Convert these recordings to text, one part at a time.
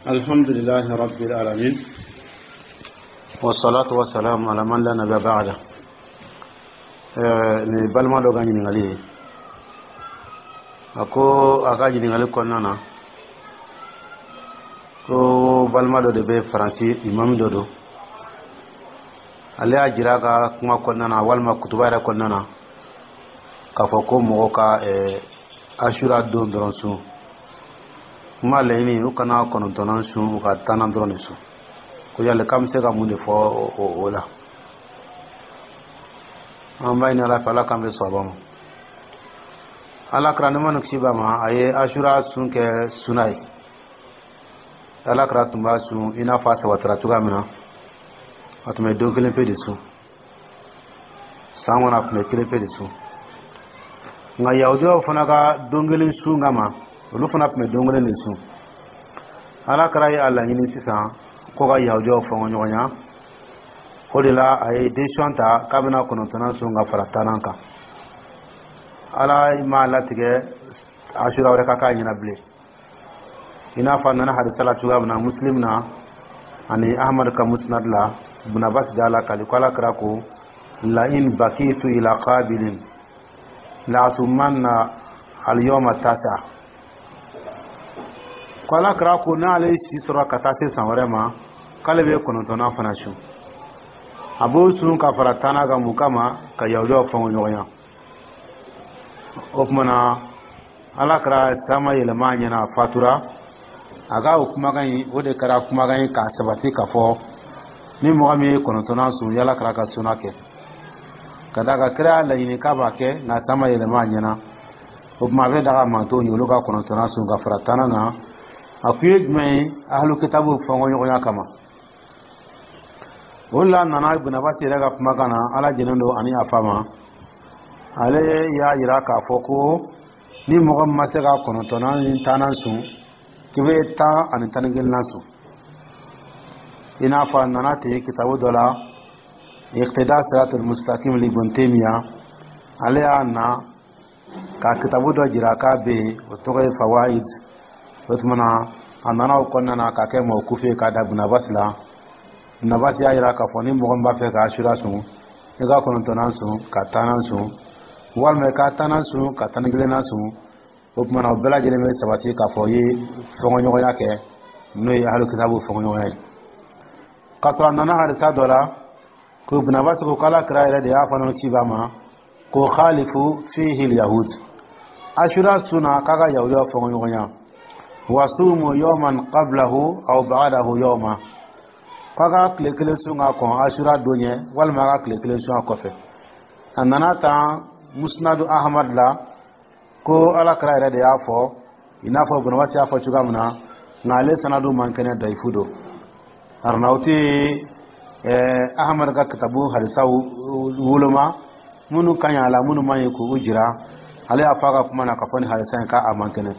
الحمد لله رب العالمين والصلاة والسلام على من لا نبي بعده. Ni balima dɔ ka ɲininkali ye, a ko a ka ɲininkali kɔnɔna na ko balima dɔ de bɛ Faransi, imam dɔ don. Ale y'a jira a ka kuma kɔnɔna na walima kutuba yɛrɛ kɔnɔna na k'a fɔ ko mɔgɔ ka Asura don dɔrɔn sun kuma laɲini, u kana 9nan sun, u ka 10nan dɔrɔn de sun. Ko yali k'an bɛ se ka mun de fɔ o la? An b'a ɲini Ala fɛ, Ala k'an bɛ sɔrɔ ma. Ala kira, nɛɛma ni kisi b'a ma, a ye Asura sun kɛ suna ye. Ala kira tun b'a sun i n'a fɔ a sabatira cogoya min na. A tun bɛ don kelen pe de sun san kɔnɔ, a tun bɛ kelen pe de sun. Nka Yahudiyaw fana ka don kelen sun kama, olu fana tun bɛ don kelen de sun. Ala kira ye a laɲini sisan ko ka Yahudiyaw fɔngɔ ɲɔgɔn ɲa. O de la a ye décision ta k'a bɛna 9nan sun ka fara 10nan kan. Ala m'a latigɛ Asura wɛrɛ ka k'a ɲɛna bilen, i n'a fɔ a nana hadisa la cogoya min na Muslim na ani Ahmad ka Musnad la. Ibn Abbas da la kali ko Ala kira ko: "La in bakitu ila qabilin la asumanna al yawma tasa." Ko Ala kira ko n'ale ye si sɔrɔ ka taa se san wɛrɛ ma, k'ale bɛ 9nan fana sun. A b'o sun ka fara 10nan kan. Mun kama? Ka Yahudiyaw fɔngɔ ɲɔgɔn ɲa. O tuma na Ala kɛra taama yɛlɛma a ɲɛna, a fatura. A ka o kumakan in, o de kɛra kumakan ye k'a sabati k'a fɔ ni mɔgɔ min ye 9nan sun, yala kɛra ka suna kɛ ka d'a kan kira y'a laɲini k'a b'a kɛ, nka taama yɛlɛma a ɲɛna. O tuma a bɛ daga mantonw ye, olu ka 9nan sun ka fara 10nan kan. A kun ye jumɛn ye? Ahlu kitabu fɔngɔ ɲɔgɔnya kama. O la nana Ibn Abbas yɛrɛ ka kumakan na, Ala jɛnen don ani a fa ma, ale y'a yira k'a fɔ ko ni mɔgɔ min ma se ka 9nan ni 10nan sun, k'i bɛ 10 ani 11nan sun. I n'a fɔ a nana ten kitabu dɔ la, Iqtida Siratul Mustaqim li Ibn Taymiya. Ale y'a na ka kitabu dɔ jira k'a bɛ yen, o tɔgɔ ye Fawaid. O tuma na a nana o kɔnɔna na k'a kɛ mawkufu ye k'a da Ibn Abbas la. Ibn Abbas y'a jira k'a fɔ ni mɔgɔ min b'a fɛ ka Asura sun, i ka 9nan sun ka 10nan sun, walima i ka 10nan sun ka 11nan sun. O tuma na o bɛɛ lajɛlen bɛ sabati k'a fɔ i ye fɔnkɔɲɔgɔnya kɛ, n'o ye ahlu kitabu fɔnkɔɲɔgɔnya ye. K'a sɔrɔ a nana hadisa dɔ la ko Ibn Abbas ko k'Ala kira yɛrɛ de y'a fɔ ci b'a ma ko khalifu fihi yahud, Asura sunna k'a ka Yahudiyaw fɔnkɔɲɔgɔnya, wasumu yawman qablahu aw ba'dahu yawma, k'a ka tile kelen sun ka kɔn Asura don ɲɛ, walima a ka tile kelen sun a kɔfɛ. A nana tan Musnadu Ahmad la ko Ala kira yɛrɛ de y'a fɔ, i n'a fɔ Ibn Abbas y'a fɔ cogoya min na, nka ale sanadu man kɛnɛ, dayifu don. Arnawuti Ahmad ka kitabu hadisaw woloma minnu ka ɲi a la, minnu man ɲi, k'u jira. Ale y'a fɔ a ka kuma na k'a fɔ ni hadisa in k'a man kɛnɛ.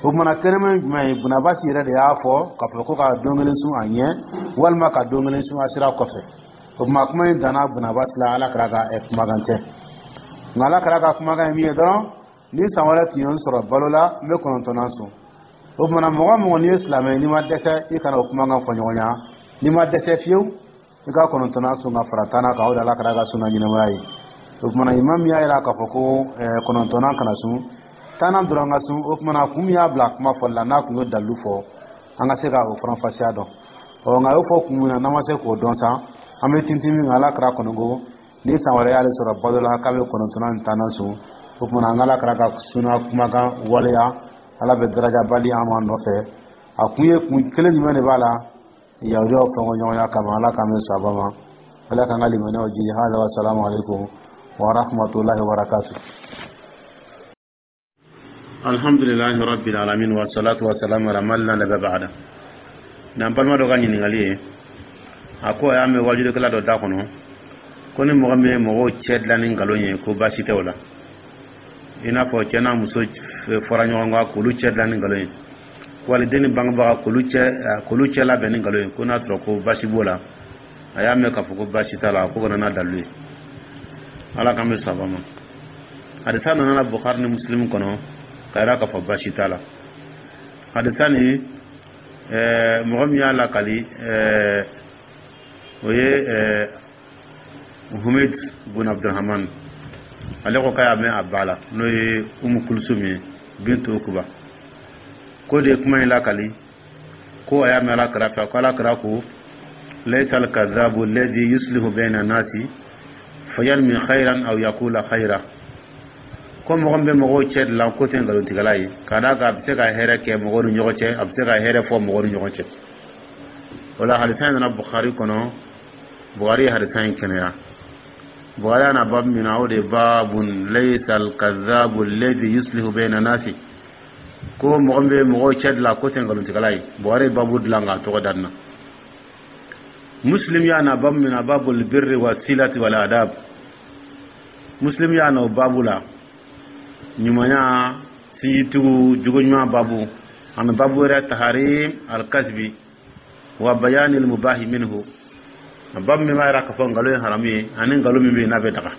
O kumana kɛnɛma ye jumɛn ye? Ibn Abbas yɛrɛ de y'a fɔ k'a fɔ ko ka don kelen sun a ɲɛ, walima ka don kelen sun Asira kɔfɛ. O tuma kuma in danna Ibn Abbas la, Ala kira ka kumakan tɛ. Nka Ala kira ka kumakan ye min ye dɔrɔn, ni san wɛrɛ tun ye n sɔrɔ balo la, n bɛ 9nan sun. O kumana mɔgɔ mɔgɔ n'i ye silamɛ, n'i ma dɛsɛ, i kana o kumakan fɔ ɲɔgɔn ɲa. N'i ma dɛsɛ fiyewu, i ka 9nan sun ka fara 10nan kan. O de Ala kira ka sunna ɲɛnamaya ye. O kumana imam y'a yira k'a fɔ ko 9nan kana sun, 10nan dɔrɔn ka sun. O kumana kun min y'a bila kuma fɔli la, n'a kun y'o dalilu fɔ, an ka se ka o faranfasiya dɔn. Ɔ nka a y'o fɔ kun min na, n'an ma se k'o dɔn sa, an bɛ tintin min kan, Ala kira kɔni ko ni san wɛrɛ y'ale sɔrɔ balo la, k'a bɛ 9nan ni 10nan sun. O kumana an ka Ala kira ka sunna kumakan waleya. Ala bɛ darajaba di an ma nɔfɛ. A kun ye kun kelen jumɛn de b'a la? Yahudiyaw fɔnkɔ ɲɔgɔnya kama. Ala k'an bɛ sababa ma, Ala k'an ka limaniyaw jidi. Hada wa salamu alaikum wa rahmatullahi wa barakatuh. Alhamdulillahi rabbil alamin wa salatu wa salam ala man la nabiyya ba'da. N'an balima dɔ ka ɲininkali ye, a ko a y'a mɛn wajulikɛla dɔ da kɔnɔ ko ni mɔgɔ min ye mɔgɔw cɛ dilan ni nkalon ye, ko baasi tɛ o la, i n'a fɔ cɛ n'a muso fɔra ɲɔgɔn kan, k'olu cɛ dilan ni nkalon ye, waliden ni bangebaga k'olu cɛ labɛn ni nkalon ye, ko n'a sɔrɔ ko baasi b'o la. A y'a mɛn k'a fɔ ko baasi t'a la, ko kana n'a dalilu ye. Ala k'an bɛ saba ma. Hadisa nana Bukhari ni Muslim kɔnɔ ka yira k'a fɔ baasi t'a la. Hadisa ni Mɔgɔ min y'a lakali, o ye Humid bun Abdurahman. Ale ko k'a y'a mɛn a ba la, n'o ye Umu Kulusum ye, bintu Ukuba, ko de ye kuma in lakali, ko a y'a mɛn Ala kira fɛ, ko Ala kira ko: "Laysa al-kadhabu alladhi yuslihu bayna nasi fayarmi khayran aw yaqula khayra." Ko mɔgɔ min bɛ mɔgɔw cɛ dilan, ko tɛ nkalontigɛla ye, ka d'a kan a bɛ se ka hɛrɛ kɛ mɔgɔw ni ɲɔgɔn cɛ, a bɛ se ka hɛrɛ fɔ mɔgɔw ni ɲɔgɔn cɛ. O la, hadisa in nana Bukhari kɔnɔ. Bukhari ye hadisa in kɛnɛya. Bukhari y'a na babu min na, o de ye "Babun laysa al-kadhabu alladhi yuslihu bayna nasi", ko mɔgɔ min bɛ mɔgɔw cɛ dilan, ko tɛ nkalontigɛla ye. Bukhari ye babu dilan k'a tɔgɔ da nin na. Muslim y'a na babu min na, "Babul birri wa silati wal adab". Muslim y'a na o babu la, ɲumanya, sinjitugu, jogo ɲuman babu, ani babu wɛrɛ, "Taharim alkasbi wa bayani almubahi minhu", babu min b'a yira k'a fɔ nkalon ye haramu ye, ani nkalon min bɛ yen n'a bɛ daga.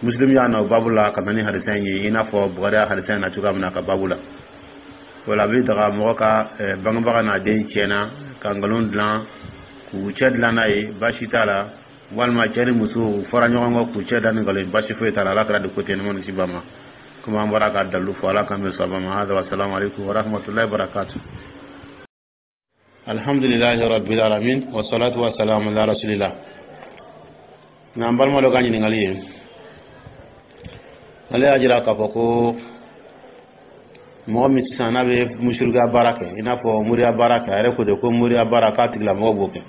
Muslim y'a na o babu la ka na ni hadisa in ye, i n'a fɔ Bukari y'a hadisa in na cogoya min na ka babu la. O la, a bɛ daga mɔgɔ ka bangebaga n'a den tiɲɛna ka nkalon dilan k'u cɛ dilan n'a ye, baasi t'a la. Walima cɛ ni muso u fɔra ɲɔgɔn kɔ k'u cɛ da ni nkalon ye, baasi foyi t'a la. Ala kɛra de ko ten ni si ba ma, komi an bɔra ka dalilu fɔ. Ala k'an bɛ sɔn ma. Hada wa salamu alaikum wa rahmatullahi wa barakatuh. Alhamdulillahi rabbil alamin, wa salatu wa salamu ala rasulillah. Nka an balima dɔ ka ɲininkali ye, ale y'a jira k'a fɔ ko mɔgɔ min sisan n'a bɛ musirikuya baara kɛ, i n'a fɔ moriya baara kɛ, a yɛrɛ ko de ko moriya baara k'a tigilamɔgɔ b'o kɛ.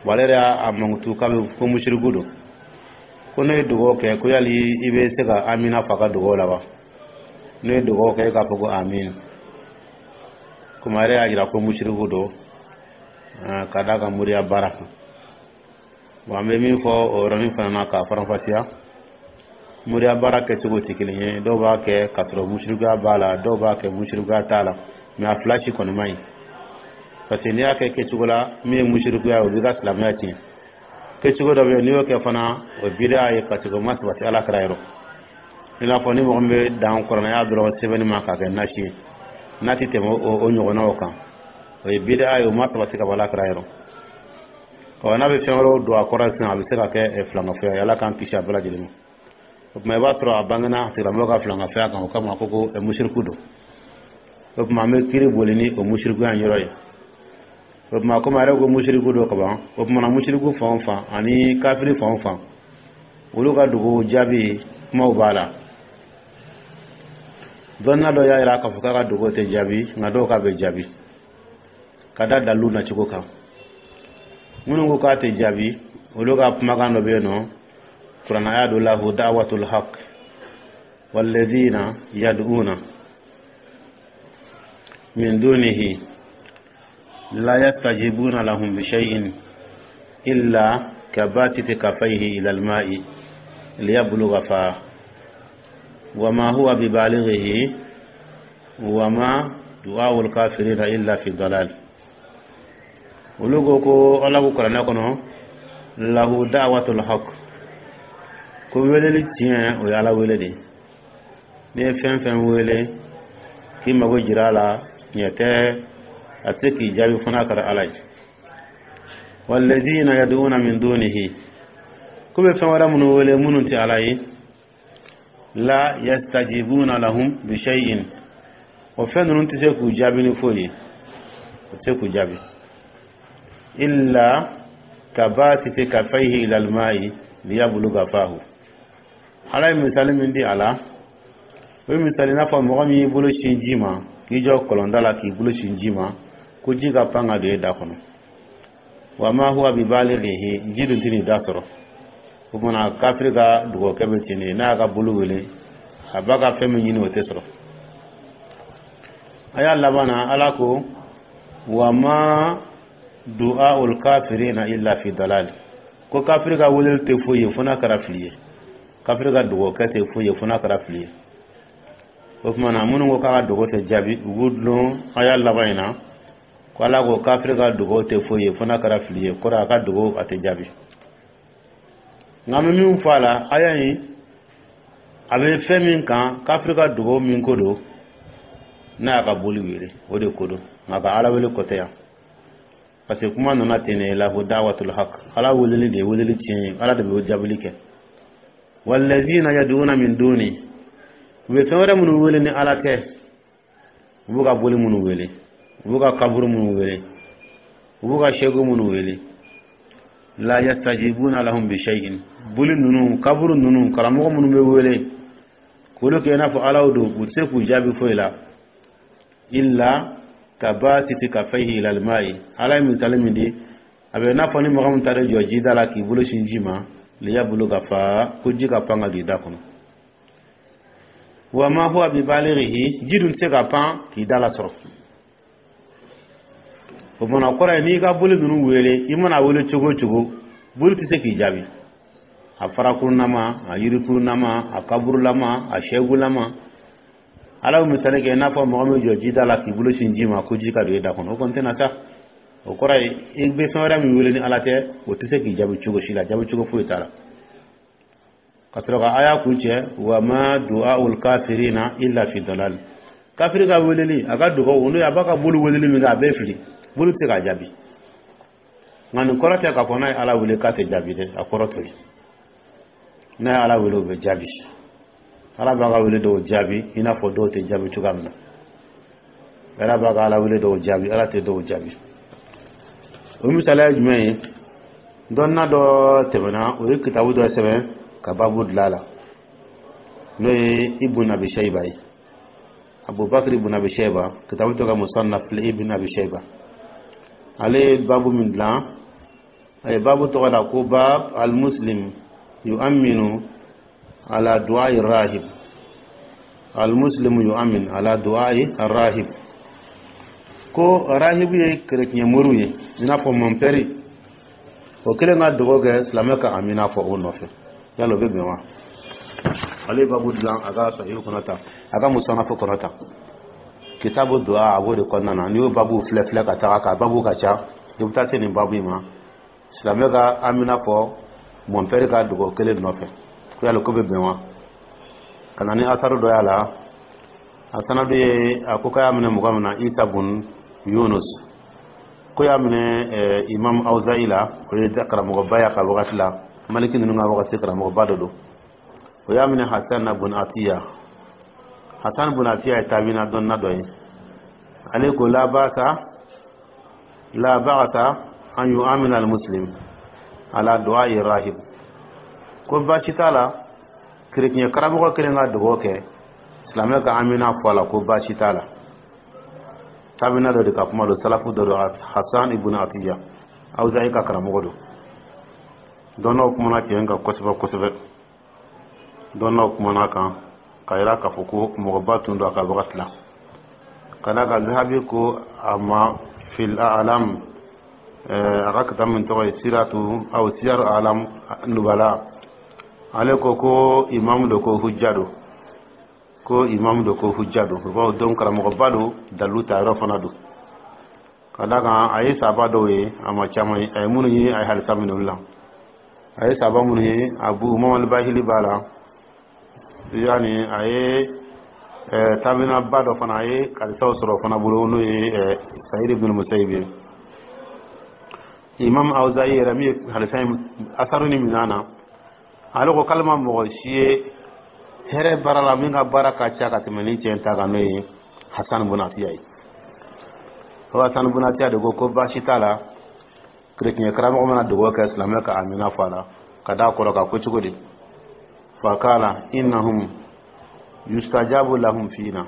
Bon, ale yɛrɛ y'a mankutu k'a bɛ ko musiriku don, ko ne ye dugawu kɛ, ko yali i bɛ se ka amina fɔ a ka dugawu la wa? Ne ye dugawu kɛ, e k'a fɔ ko amin. Komi a yɛrɛ y'a jira ko musiriku don ka d'a ka moriya baara kan. Bon, an bɛ min fɔ o yɔrɔnin fana na k'a faranfasiya, moriya baara kɛcogo tɛ kelen ye. Dɔw b'a kɛ k'a sɔrɔ musirikuya b'a la, dɔw b'a kɛ musirikuya t'a la, mais a fila si kɔni man ɲi, parce que n'i y'a kɛ kɛcogo la min ye musirikuya ye, o b'i ka silamɛya tiɲɛ. Kɛcogo dɔ bɛ yen, n'i y'o kɛ fana, o ye bidaa ye, parce que o ma sabati Ala kira yɔrɔ. I n'a fɔ ni mɔgɔ min bɛ dan kuranɛya dɔrɔn sɛbɛnni ma k'a kɛ nasi ye, n'a tɛ tɛmɛ o ɲɔgɔnnaw kan, o ye bidaa ye, o ma sabati ka bɔ Ala kira yɔrɔ. Ɔ, n'a bɛ fɛn wɛrɛw don a kɔrɔ sisan, a bɛ se ka kɛ filankafoya ye. Ala k'an kisi a bɛɛ lajɛlen ma. O tuma, i b'a sɔrɔ a bangena a tigilamɔgɔ ka filankafoya kan, o kama a ko ko musiriku don. O tuma, an bɛ kiiri boli ni o musirikuya in yɔrɔ ye. O tuma, komi a yɛrɛ ko musiriku don kaban, o tuma na musiriku fan o fan ani kafiri fan o fan, olu ka dugu jaabi kumaw b'a la. Dɔnniya dɔ y'a jira k'a fɔ k'a ka dugu tɛ jaabi, nka dɔw k'a bɛ jaabi ka da dalilu nacogo kan. Minnu ko k'a tɛ jaabi, olu ka kumakan dɔ bɛ yen nɔ, kuranaya dɔ: "Lahu da'watul haq walladhina yad'una min dunihi la yastajibuna lahum bi shay'in illa kabasiti kafayhi ila al-ma'i liyabluga fa wa ma huwa bibalighihi wa ma du'a'u al-kafirina illa fi dalal." Olu ko ko Ala ko kuranɛ kɔnɔ: "Lahu da'watul haq", ko weleli tiɲɛ, o ye Ala wele de. N'i ye fɛn fɛn wele k'i mago jira a la, tiɲɛ tɛ, a tɛ se k'i jaabi fo n'a kɛra Ala ye. "Walladhina yad'una min dunihi", ko bɛ fɛn wɛrɛ minnu wele minnu tɛ Ala ye, "la yastajibuna lahum bi shay'in", o fɛn ninnu tɛ se k'u jaabi ni foyi ye, o tɛ se k'u jaabi, "illa kabasiti kafayhi ila alma'i liyabluga fahu". Ala ye misali min di a la, o ye misali n'a fɔ mɔgɔ min y'i bolo sin ji ma, k'i jɔ kɔlɔnda la k'i bolo sin ji ma, ko ji ka pan ka don e da kɔnɔ. "Wa ma huwa bibalighihi", ji dun tɛ n'i da sɔrɔ. O kumana, kafiri ka dugawukɛ bɛ ten de, n'a y'a ka bolo wele, a b'a ka fɛn min ɲini, o tɛ sɔrɔ. A y'a laban na, Ala ko: "Wa ma du'aul kafirina illa fi dalal", ko kafiri ka weleli tɛ foyi ye fo n'a kɛra fili ye, kafiri ka dugawukɛ tɛ foyi ye fo n'a kɛra fili ye. O tuma na, minnu ko k'a ka dugawu tɛ jaabi, u b'u dulon a y'a laban in na, ko Ala ko kafiri ka dugawu tɛ foyi ye fo n'a kɛra fili ye, kɔrɔ a ka dugawu a tɛ jaabi. Nka an bɛ min fɔ a la, aya in a bɛ fɛn min kan, kafiri ka dugawu min ko don. N'a y'a ka boli wele, o de ko don, nka ka Ala wele kɔ tɛ yan, parce que kuma nana ten de la ko dawatul haq, Ala weleli de ye weleli tiɲɛ ye, Ala de bɛ jaabili kɛ. Wallazina yad'una min duni, u bɛ fɛn wɛrɛ minnu wele ni Ala tɛ, u b'u ka boli minnu wele, u b'u ka kaburu minnu wele, u b'u ka segu minnu wele, la yastajibuna lahum bi shay'in. Boli ninnu, kaburu ninnu, karamɔgɔ minnu bɛ wele k'olu kɛ i n'a fɔ alaw don, u tɛ se k'u jaabi foyi la. Illa kabasiti kafayhi ilal ma'i, Ala ye misali min di, a bɛ i n'a fɔ ni mɔgɔ min taara jɔ jida la k'i bolo sin ji ma, liyabuluga fa, ko ji ka pan ka don i da kɔnɔ. Wa ma huwa bi balighihi, ji dun tɛ se ka pan k'i da lasɔrɔ. O fana kɔrɔ ye, n'i ka boli ninnu wele, i mana wele cogo o cogo, boli tɛ se k'i jaabi, a farakurunama, a yirikurunama, a kaburulama, a sɛgulama. Ala bɛ misali kɛ i n'a fɔ mɔgɔ min jɔ jida la k'i bolo sin ji ma ko ji ka don i da kɔnɔ, o kɔni tɛna sa. O kɔrɔ ye, i bɛ fɛn wɛrɛ min wele ni Ala tɛ, o tɛ se k'i jaabi cogo si la, jaabi cogo foyi t'a la. Ka sɔrɔ ka aya kuncɛ: wa ma du'aul kafirina illa fi dalal. Kafiri ka weleli, a ka dugawu, n'o ye a b'a ka boli weleli min kɛ, a bɛɛ fili, boli tɛ se k'a jaabi. Nka nin kɔrɔ tɛ k'a fɔ n'a ye Ala wele k'a tɛ jaabi dɛ, a kɔrɔ t'o ye. N'a ye Ala wele, o bɛ jaabi. Ala b'a ka wele dɔw jaabi i n'a fɔ dɔw tɛ jaabi cogoya min na. Ala b'a ka Ala wele dɔw jaabi, Ala tɛ dɔw jaabi. O misaliya ye jumɛn ye? Dɔnna dɔ tɛmɛna, o ye kitabu dɔ sɛbɛn ka babu dilan a la, n'o ye Ibn Abi Shayba ye, Abubakar Ibn Abi Shayba, kitabu tɔgɔ Musannaf Ibn Abi Shayba. Ale ye babu min dilan, a ye babu tɔgɔ da ko bab al-muslim yu'minu ala du'ai rahib, al-muslimu yu'min ala du'ai rahib. Ko rahibu ye kerecɛn moriw ye, i n'a fɔ mɔnpɛri, o kelen ka dugawu kɛ, silamɛ ka amina fɔ o nɔfɛ, yala o bɛ bɛn wa? Ale ye babu dilan a ka sahihu kɔnɔ ta, a ka musanafu kɔnɔ ta, kitabu du'a, a b'o de kɔnɔna na. N'i y'o babu filɛ filɛ ka taga, ka babu ka ca, i bɛ taa se nin babu in ma: silamɛ ka amina fɔ mɔnpɛri ka dugawu kelen nɔfɛ, ko yala ko bɛ bɛn wa? Ka na ni asaru dɔ y'a la, a sanadu ye, a ko k'a y'a minɛ mɔgɔ min na, Isa bun Yunus, ko y'a minɛ Imam Awzayi la, o ye karamɔgɔba y'a ka wagati la, Maliki ninnu ka wagati karamɔgɔba dɔ don. O y'a minɛ Hasan bun Atiya. Hasan bun Atiya ye taabina dɔnna dɔ ye. Ale ko la ba'sa, la ba'sa an yu'amina al-muslim ala du'a'i rahib, ko baasi t'a la, kerecɛn karamɔgɔ kelen ka dugawu kɛ, silamɛ ka amina fɔ a la, ko baasi t'a la. Taabina dɔ de ka kuma don, salafu dɔ don, Hasan ibn Atiya, Awzayi ka karamɔgɔ don. Dɔnnaw kumana cɛ kan kosɛbɛ kosɛbɛ, dɔnnaw kumana kan ka yira k'a fɔ ko mɔgɔba tun don a ka wagati la. Ka d'a kan Zahabi ko a ma fil a'lam, a ka kitabu min tɔgɔ ye siratu aw siyaru alam nubala, ale ko ko imamu don, ko hujja don, ko imamu don, ko hujja don. O don karamɔgɔba don, dalilu ta yɔrɔ fana don. Ka d'a kan a ye saba dɔw ye, a ma caman ye, a ye minnu ye, a ye halisa minɛ olu la. A ye saba minnu ye, Abu Umama Bahili b'a la, yani a ye tabinaba dɔ fana, a ye halisaw sɔrɔ o fana bolo, n'o ye Sayid ibn Musayib ye. Imam Awzayi yɛrɛ min ye halisa in asaru ni minɛ na, ale ko k'ale ma mɔgɔ si ye hɛrɛ baara la min ka baara ka ca ka tɛmɛ ni cɛ ta kan, n'o ye Hasan bun Atiya ye. O Hasan bun Atiya de ko ko baasi t'a la, kerecɛn karamɔgɔ mana dugawu kɛ, silamɛ ka amina fɔ a la, ka d'a kɔrɔ kan ko cogo di? Fakala innahum yustajabu lahum fina,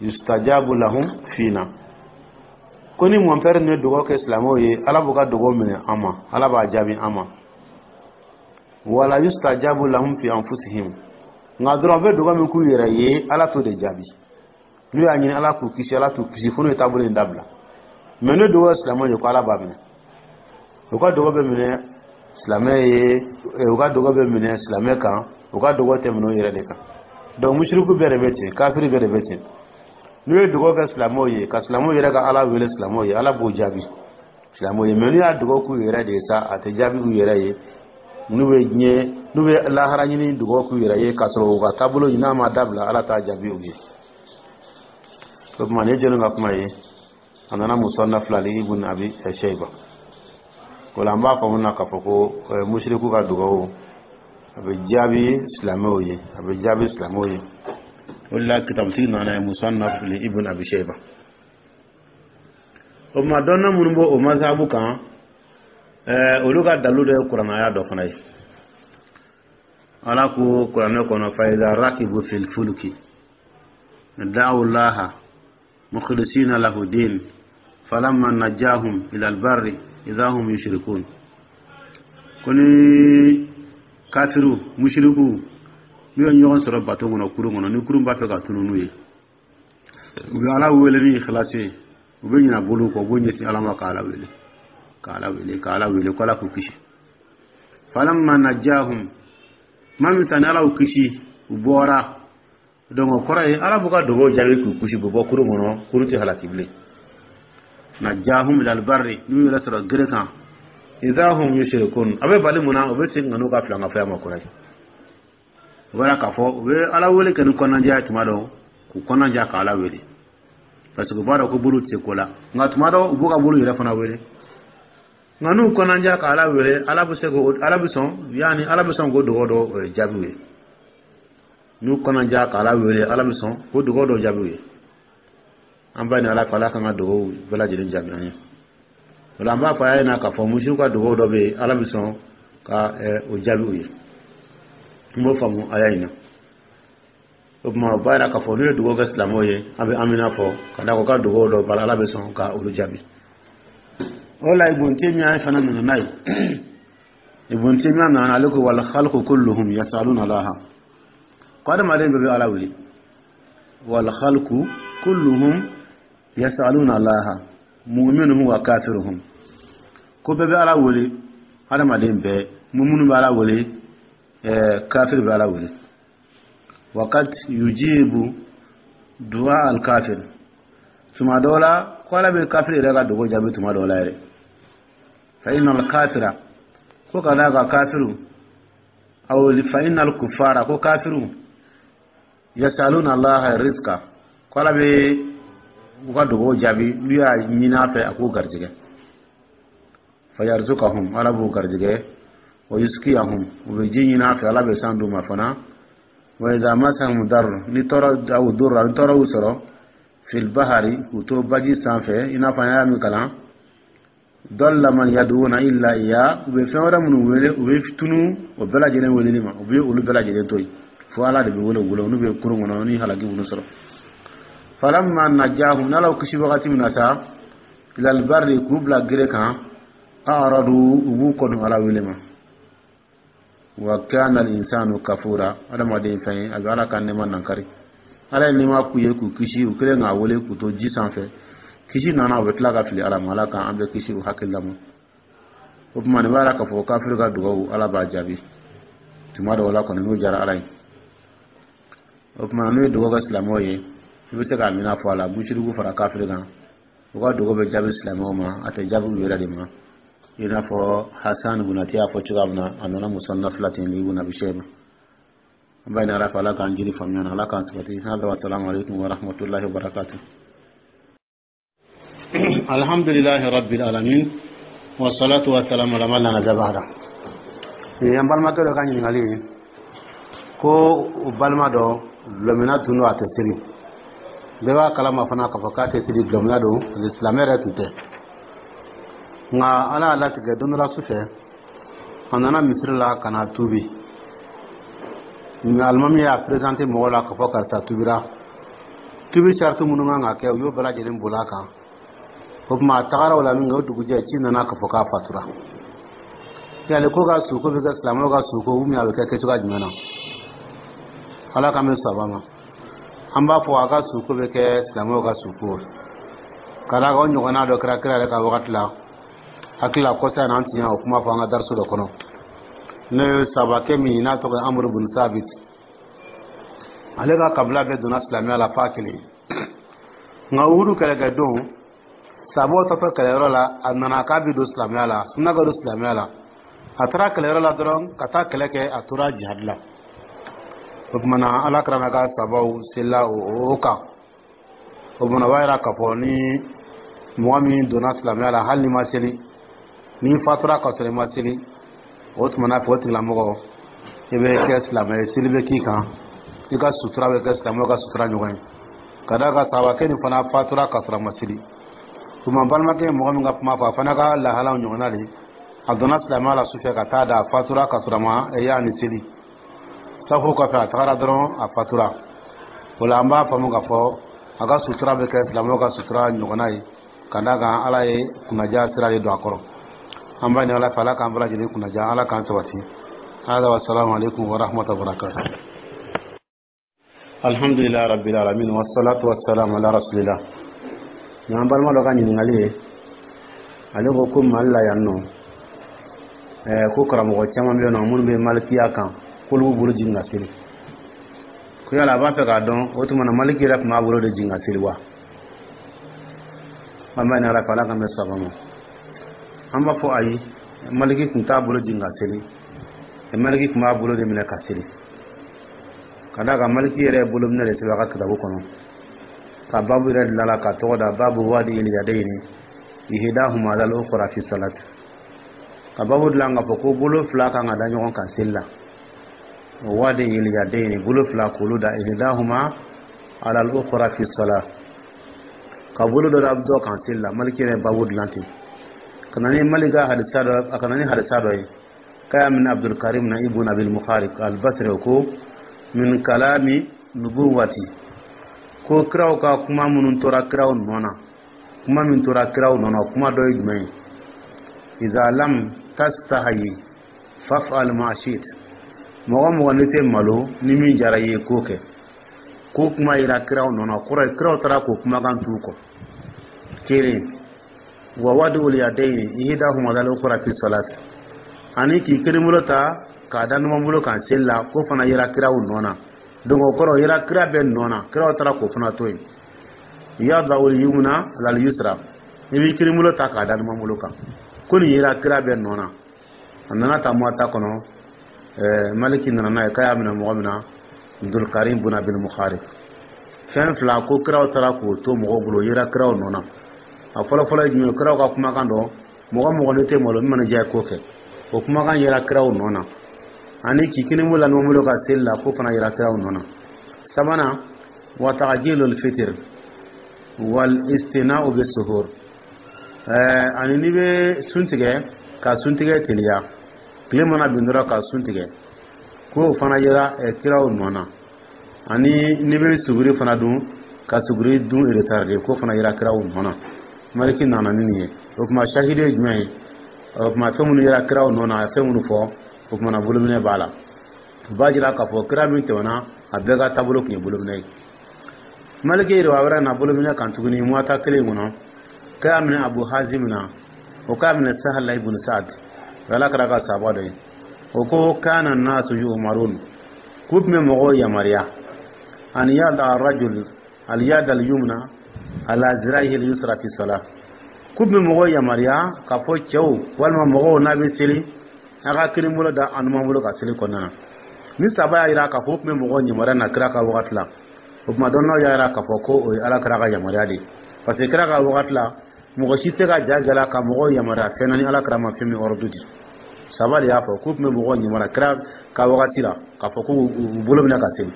yustajabu lahum fina, ko ni mɔnpɛri ni dugawu kɛ silamɛw ye, Ala b'u ka dugawu minɛ an ma, Ala b'a jaabi an ma. Wala yustajabu lahum fi anfusihim, nka dɔrɔn u bɛ dugawu min k'u yɛrɛ ye, Ala t'o de jaabi. N'u y'a ɲini Ala k'u kisi, Ala t'u kisi fo n'u ye taabolo in dabila. Mɛ n'u dugawu silamɛw ye, ko Ala b'a minɛ, u ka dugawu bɛ minɛ silamɛ ye, u ka dugawu bɛ minɛ silamɛ kan, u ka dugawu tɛ minɛ u yɛrɛ de kan. Donc musiriku bɛɛ de bɛ ten, kafiri bɛɛ de bɛ ten. N'u ye dugawu kɛ silamɛw ye, ka silamɛw yɛrɛ ka Ala wele silamɛw ye, Ala b'o jaabi silamɛw ye. Mɛ n'u y'a dugawu k'u yɛrɛ de ye sa, a tɛ jaabi u yɛrɛ ye. N'u bɛ diɲɛ, n'u bɛ lahara ɲini, dugawu k'u yɛrɛ ye k'a sɔrɔ u ka taabolo ɲini n'a ma dabila, Ala t'a jaabi u ye. O tuma, nin ye jɔnni ka kuma ye? A nana Musannaf la li Ibn Abi Shayba. O la, an b'a faamu na k'a fɔ ko musiriku ka dugawu, a bɛ jaabi silamɛw ye, a bɛ jaabi silamɛw ye. O de la, kitabutigi nana ye Musannaf li Ibn Abi Shayba. O tuma, dɔnna minnu b'o o mazhabu kan, olu ka dalu dɔ ye kuranaya dɔ fana ye. Ala ko kuranɛ kɔnɔ: fa iza rakibu fil fulki da'u llaha mukhlisina lahu din falamma najahum ila albarri idha hum yushrikun. Ko ni kafiru mushriku n'u ye ɲɔgɔn sɔrɔ bato kɔnɔ, kurun kɔnɔ, ni kurun b'a fɛ ka tunu n'u ye, u bɛ Ala wele ni ikhlasi ye, u bɛ ɲina bolo kɔ, u b'u ɲɛsin Ala ma, k'Ala wele, k'Ala wele, k'Ala wele, ko Ala k'u kisi. Falamma najahum, tuma min sani Ala y'u kisi, u bɔra. Donc o kɔrɔ ye, Ala b'u ka dugawu jaabi k'u kisi, u bɛ bɔ kurun kɔnɔ, kurun tɛ halaki bilen. Najahum ilal barri, n'u yɛrɛ sɔrɔ gere kan, idha hum yushrikun. A bɛ bali mun na? U bɛ segin ka n'u ka filankafoya ma kɔrɔ ye. O b'a k'a fɔ u bɛ Ala wele kɛ ni kɔnɔnajɛya ye tuma dɔ, k'u kɔnɔnajɛya ka Ala wele, parce que u b'a dɔn ko bolo tɛ se ko la. Nka tuma dɔ, u b'u ka bolo yɛrɛ fana wele. Nka n'u kɔnɔnajɛya ka Ala wele, Ala bɛ se k'o, Ala bɛ sɔn, yaani Ala bɛ sɔn k'o dugawu dɔ jaabi u ye. N'u kɔnɔnajɛya ka Ala wele, Ala bɛ sɔn k'o dugawu dɔ jaabi u ye. An b'a ɲini Ala fɛ, Ala k'an ka dugawu bɛɛ lajɛlen jaabi an ye. O la, an b'a fɔ a ɲɛna k'a fɔ misiw ka dugawu dɔ bɛ yen, Ala bɛ sɔn ka o jaabi u ye. N b'o faamu aya in na. O tuma, o b'a yira k'a fɔ n'u ye dugawu kɛ silamɛw ye, an bɛ amina fɔ ka da ko ka dugawu dɔ bala, Ala bɛ sɔn ka olu jaabi. O la, Ibn Taymiya fana nana n'a ye. Ibn Taymiya nana, ale ko: wal khalqu kulluhum yasaluna Allaha. Ko adamaden bɛɛ bɛ Ala wele. Wal khalqu kulluhum yasaluna Allaha mu'minuhum wa kafiruhum. Ko bɛɛ bɛ Ala wele, adamaden bɛɛ, mumunu bɛ Ala wele, kafir bɛ Ala wele. Waqad yujibu du'a al kafir. Tuma dɔw la, ko Ala bɛ kafir yɛrɛ ka dugawu jaabi tuma dɔw la yɛrɛ. Fa inna al kafira, ko ka d'a kan kafiru, aw fa inna al kufara, ko kafiru, yasaluna Allaha rizqa, ko Ala bɛ u ka dugawu jaabi n'u y'a ɲini a fɛ a k'u garijɛgɛ. Fa yarzukahum, Ala b'u garijɛgɛ. Wa yuskiyahum, u bɛ ji ɲini a fɛ, Ala bɛ san d'u ma fana. Wa idha masahum dar, ni tɔɔrɔ aw durra, ni tɔɔrɔ y'u sɔrɔ, fil bahari, k'u to baji sanfɛ, i n'a fɔ an y'a min kalan, dalla man yad'una illa iya, u bɛ fɛn wɛrɛ minnu wele, u bɛ tunu o bɛɛ lajɛlen weleli ma, u bɛ olu bɛɛ lajɛlen to yen, fo Ala de bɛ wele u bolo n'u bɛ kurun kɔnɔ ni halaki minnu sɔrɔ. Falamma najahum, n'Ala y'u kisi wagati min na sa, ilal barri, k'u bila gere kan, a'radu, u b'u kɔdon Ala wele ma. Wa kana al insanu kafura. Adamaden fɛn ye, a bɛ Ala ka nɛɛma nankari. Ala ye nɛɛma k'u ye k'u kisi, u kɛlen k'a wele k'u to ji sanfɛ, kisi nana, u bɛ tila ka fili Ala ma. Ala k'an bɛɛ kisi o hakilila ma. O tuma, nin b'a la k'a fɔ kafiri ka dugawu, Ala b'a jaabi tuma dɔw la kɔni, n'o diyara Ala ye. O tuma, n'u ye dugawu kɛ silamɛw ye, i bɛ se k'a mina fɔ a la, musiriku fara kafiri kan, u ka dugawu bɛ jaabi silamɛw ma, a tɛ jaabi u yɛrɛ de ma, i n'a fɔ Hasan Bunati y'a fɔ cogoya min na. A nana Musannaf la ten, Ibn Abi Shayba. An b'a ɲini Ala fɛ, Ala k'an jiri faamuya na, Ala k'an sabati. Hada wa salamu alaikum wa rahmatullahi wa barakatuh. Alhamdulillahi rabbil alamin, wa salatu wa salam ala man la nabiyya ba'da. An balimakɛ dɔ ka ɲininkali ye ko u balima dɔ dulɔminna tun don, a tɛ seli. Bɛɛ b'a kalama fana k'a fɔ k'a tɛ seli, dulɔminna don, parce que silamɛ yɛrɛ tun tɛ. Nka Ala y'a latigɛ, don dɔ la su fɛ, a nana misiri la ka na tuubi. Alimami y'a présenté mɔgɔw la k'a fɔ karisa tubira. Tubi sarati minnu kan ka kɛ, u y'o bɛɛ lajɛlen boli a kan. O tuma, a tagara o la min kɛ, o dugujɛ, ci nana k'a fɔ k'a fatura. Yali ko ka suko bɛ kɛ silamɛw ka suko ou bien a bɛ kɛ kɛcogoya jumɛn na? Ala k'an bɛ saba ma. An b'a fɔ a ka suko bɛ kɛ silamɛw ka suko, ka d'a kan o ɲɔgɔnna dɔ kɛra kira yɛrɛ ka wagati la. Hakili la, kɔsa in na, an tun y'o kuma fɔ an ka dariso dɔ kɔnɔ, n'o ye sabakɛ min n'a tɔgɔ ye Amuru bin Sabit. Ale ka kabila bɛɛ donna silamɛya la f'a kelen. Nka Uhudu kɛlɛkɛdon, sabaw tatɔ kɛlɛyɔrɔ la, a nana k'a bɛ don silamɛya la, a sina ka don silamɛya la. A taara kɛlɛyɔrɔ la dɔrɔn ka taa kɛlɛ kɛ, a tora jihadi la. O tuma na, Ala kɛra ka sabaw selila o kan. O tuma, o b'a yira k'a fɔ ni mɔgɔ min donna silamɛya la, hali ni ma seli, n'i fatura ka sɔrɔ i ma seli, o tuma na fɛ, o tigilamɔgɔ, i bɛ kɛ silamɛ ye, seli bɛ k'i kan, i ka sutura bɛ kɛ silamɛw ka sutura ɲɔgɔn ye, ka d'a kan sahabakɛ nin fana fatura ka sɔrɔ a ma seli. Tuma, balimakɛ ye mɔgɔ min ka kuma fɔ, a fana ka lahalaw ɲɔgɔnna de. A donna silamɛya la sufɛ ka taa da, a fatura ka sɔrɔ a ma y'a ni seli. Safo kɔfɛ, a tagara dɔrɔn, a fatura. O la, an b'a faamu k'a fɔ a ka sutura bɛ kɛ silamɛw ka sutura ɲɔgɔnna ye, ka d'a kan Ala ye kunnaja sira de don a kɔrɔ. An b'a ɲini Ala fɛ, Ala k'an bɛɛ lajɛlen kunnaja, Ala k'an sabati. Hada wa salamu alaikum wa rahmatullahi wa barakatuh. Alhamdulillah rabbil alamin, wassalatu wassalamu ala rasulillah. Nin an balima dɔ ka ɲininkali ye. Ale ko ko Mali la yan nɔ, ko karamɔgɔ caman bɛ yen nɔ minnu bɛ malikiya kan, k'olu b'u bolo jigin ka seli. Ko yala a b'a fɛ k'a dɔn, o tuma na, Maliki yɛrɛ tun b'a bolo de jigin ka seli wa? An b'a ɲini Ala fɛ, Ala k'an bɛ saba ma. An b'a fɔ ayi, Maliki tun t'a bolo jigin ka seli. Maliki tun b'a bolo de minɛ ka seli, ka d'a kan Maliki yɛrɛ ye bolominɛ de sɛbɛn a ka kitabu kɔnɔ, ka babu yɛrɛ dilan la, ka tɔgɔ da باب وضع اليدين إحداهما على الأخرى في الصلاة, ka babu dilan k'a fɔ ko bolo fila kan ka da ɲɔgɔn kan seli la. وضع اليدين, bolo fila k'olu da, إحداهما على الأخرى في الصلاة, ka bolo dɔ da dɔ kan seli la. Maliki yɛrɛ babu dilan ten, ka na ni Maliki ka hadisa dɔ, a ka na ni hadisa dɔ ye k'a y'a minɛ Abdulkarim na Ibn Abil Mukharik Albasri, ko من كلام النبوة, ko kiraw ka kuma minnu tora kiraw nɔ na, kuma min tora kiraw nɔ na, kuma dɔ ye jumɛn ye? إذا لم تستحي فافعل ما شئت. Mɔgɔ mɔgɔ ne tɛ malo, ni min jara i ye, k'o kɛ. Ko kuma yira kiraw nɔ na, kɔrɔ ye kiraw taara k'o kumakan t'u kɔ. Kelen, ووضع اليدين إحداهما على الأخرى في الصلاة, ani k'i kelen bolo ta k'a da numan bolo kan seli la, k'o fana yira kiraw nɔ na. Donc o kɔrɔ, yira kira bɛɛ nɔ na, kiraw taara k'o fana to yen. يضع اليمنى على اليسرى, i b'i kelen bolo ta k'a da numan bolo kan, ko nin yira kira bɛɛ nɔ na. A nana ta Muwata kɔnɔ. Maliki nana n'a ye k'a y'a minɛ mɔgɔ min na, Abdulkarim bun Abil Mukharib. Fɛn fila ko kiraw taara k'o to mɔgɔw bolo, yira kiraw nɔ na. A fɔlɔ fɔlɔ ye jumɛn ye? Kiraw ka kumakan dɔ, mɔgɔ mɔgɔ ne tɛ malo, min mana diya, k'o kɛ, o kumakan yira kiraw nɔ na. Ani k'i kini bolo la numan bolo ka seli la, k'o fana yira kiraw nɔ na. Sabanan, وتعجيل الفطر والاستثناء بالسحور, ani n'i bɛ sun tigɛ, ka sun tigɛ teliya, tile mana bin dɔrɔn ka sun tigɛ, k'o fana yira kiraw nɔ na. Ani n'i bɛ suguri fana dun, ka suguri dun retardé, k'o fana yira kiraw nɔ na. Maliki nana ni nin ye. O tuma, sahidi ye jumɛn ye? O tuma, fɛn minnu yira kiraw nɔ na, a ye fɛn minnu fɔ, o tuma na, bolominɛ b'a la. O b'a jira k'a fɔ kira min tɛmɛna, a bɛɛ ka taabolo tun ye bolominɛ ye. Maliki yɛrɛ wɛrɛ na bolominɛ kan tuguni Muwata kelen kɔnɔ, k'a y'a minɛ Abu Hazim na, o k'a minɛ Sahala ibn Saad, o Ala kɛra ka sahaba dɔ ye. O ko كان الناس يؤمرون, k'u tun bɛ mɔgɔw yamaruya, أن يضع الرجل اليد اليمنى على ذراعه اليسرى في الصلاة, k'u tun bɛ mɔgɔw yamaruya k'a fɔ cɛw walima mɔgɔw, n'a bɛ seli, a ka kelen bolo da a numan bolo ka seli kɔnɔna na. Ni saba y'a jira k'a fɔ u tun bɛ mɔgɔw yamaruya na kira ka wagati la, o tuma, dɔnnaw y'a jira k'a fɔ ko o ye Ala kira ka yamaruya de ye, parce que kira ka wagati la, mɔgɔ si tɛ se ka ja gɛlɛya ka mɔgɔw yamaruya fɛn na ni Ala kira ma fɛn min ordre di. Saba de y'a fɔ k'u tun bɛ mɔgɔw yamaruya kira ka wagati la k'a fɔ k'u bolo minɛ ka seli.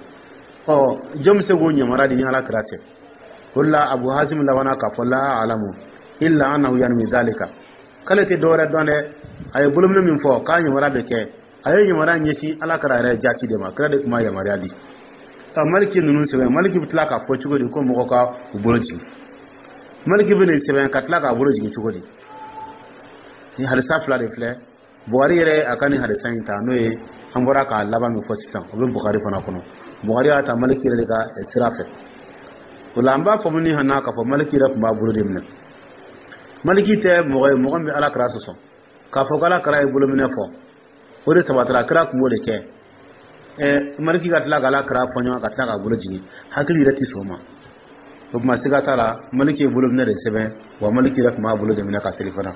Ɔ, jɔn bɛ se k'o yamaruya di ni Ala kira tɛ? O de la, Abu Hazim labanna k'a fɔ لا أعلم إلا أنه ينوي ذلك, k'ale tɛ dɔwɛrɛ dɔn dɛ, a ye bolominɛ min fɔ k'a yamaruya bɛ kɛ, a ye yamaruya ɲɛsin Ala kira yɛrɛ jaati de ma, kira de tun b'a yamaruya di. Ɔ, Maliki ninnu sɛbɛn, Maliki bɛ tila k'a fɔ cogo di ko mɔgɔ ka u bolo jigin? Maliki bɛ nin sɛbɛn ka tila k'a bolo jigin cogo di? Ni hadisa fila de filɛ. Bukari yɛrɛ a ka nin hadisa in ta, n'o ye an bɔra k'a laban min fɔ sisan, o bɛ Bukari fana kɔnɔ. Bukari y'a ta Maliki yɛrɛ de ka sira fɛ. O la, an b'a fɔ ni hana k'a fɔ Maliki yɛrɛ tun b'a bolo de minɛ. Maliki tɛ mɔgɔ ye mɔgɔ min bɛ Ala kira sɔsɔ k'a fɔ ko Ala kira ye bolominɛ fɔ, o de sabatira, kira tun b'o de kɛ. Maliki ka tila k'Ala kira fɔ ɲɔgɔn ka tila k'a bolo jigin, hakili yɛrɛ tɛ sɔn o ma. O tuma, siga t'a la, Maliki ye bolominɛ de sɛbɛn wa. Maliki yɛrɛ tun b'a bolo de minɛ ka seli fana.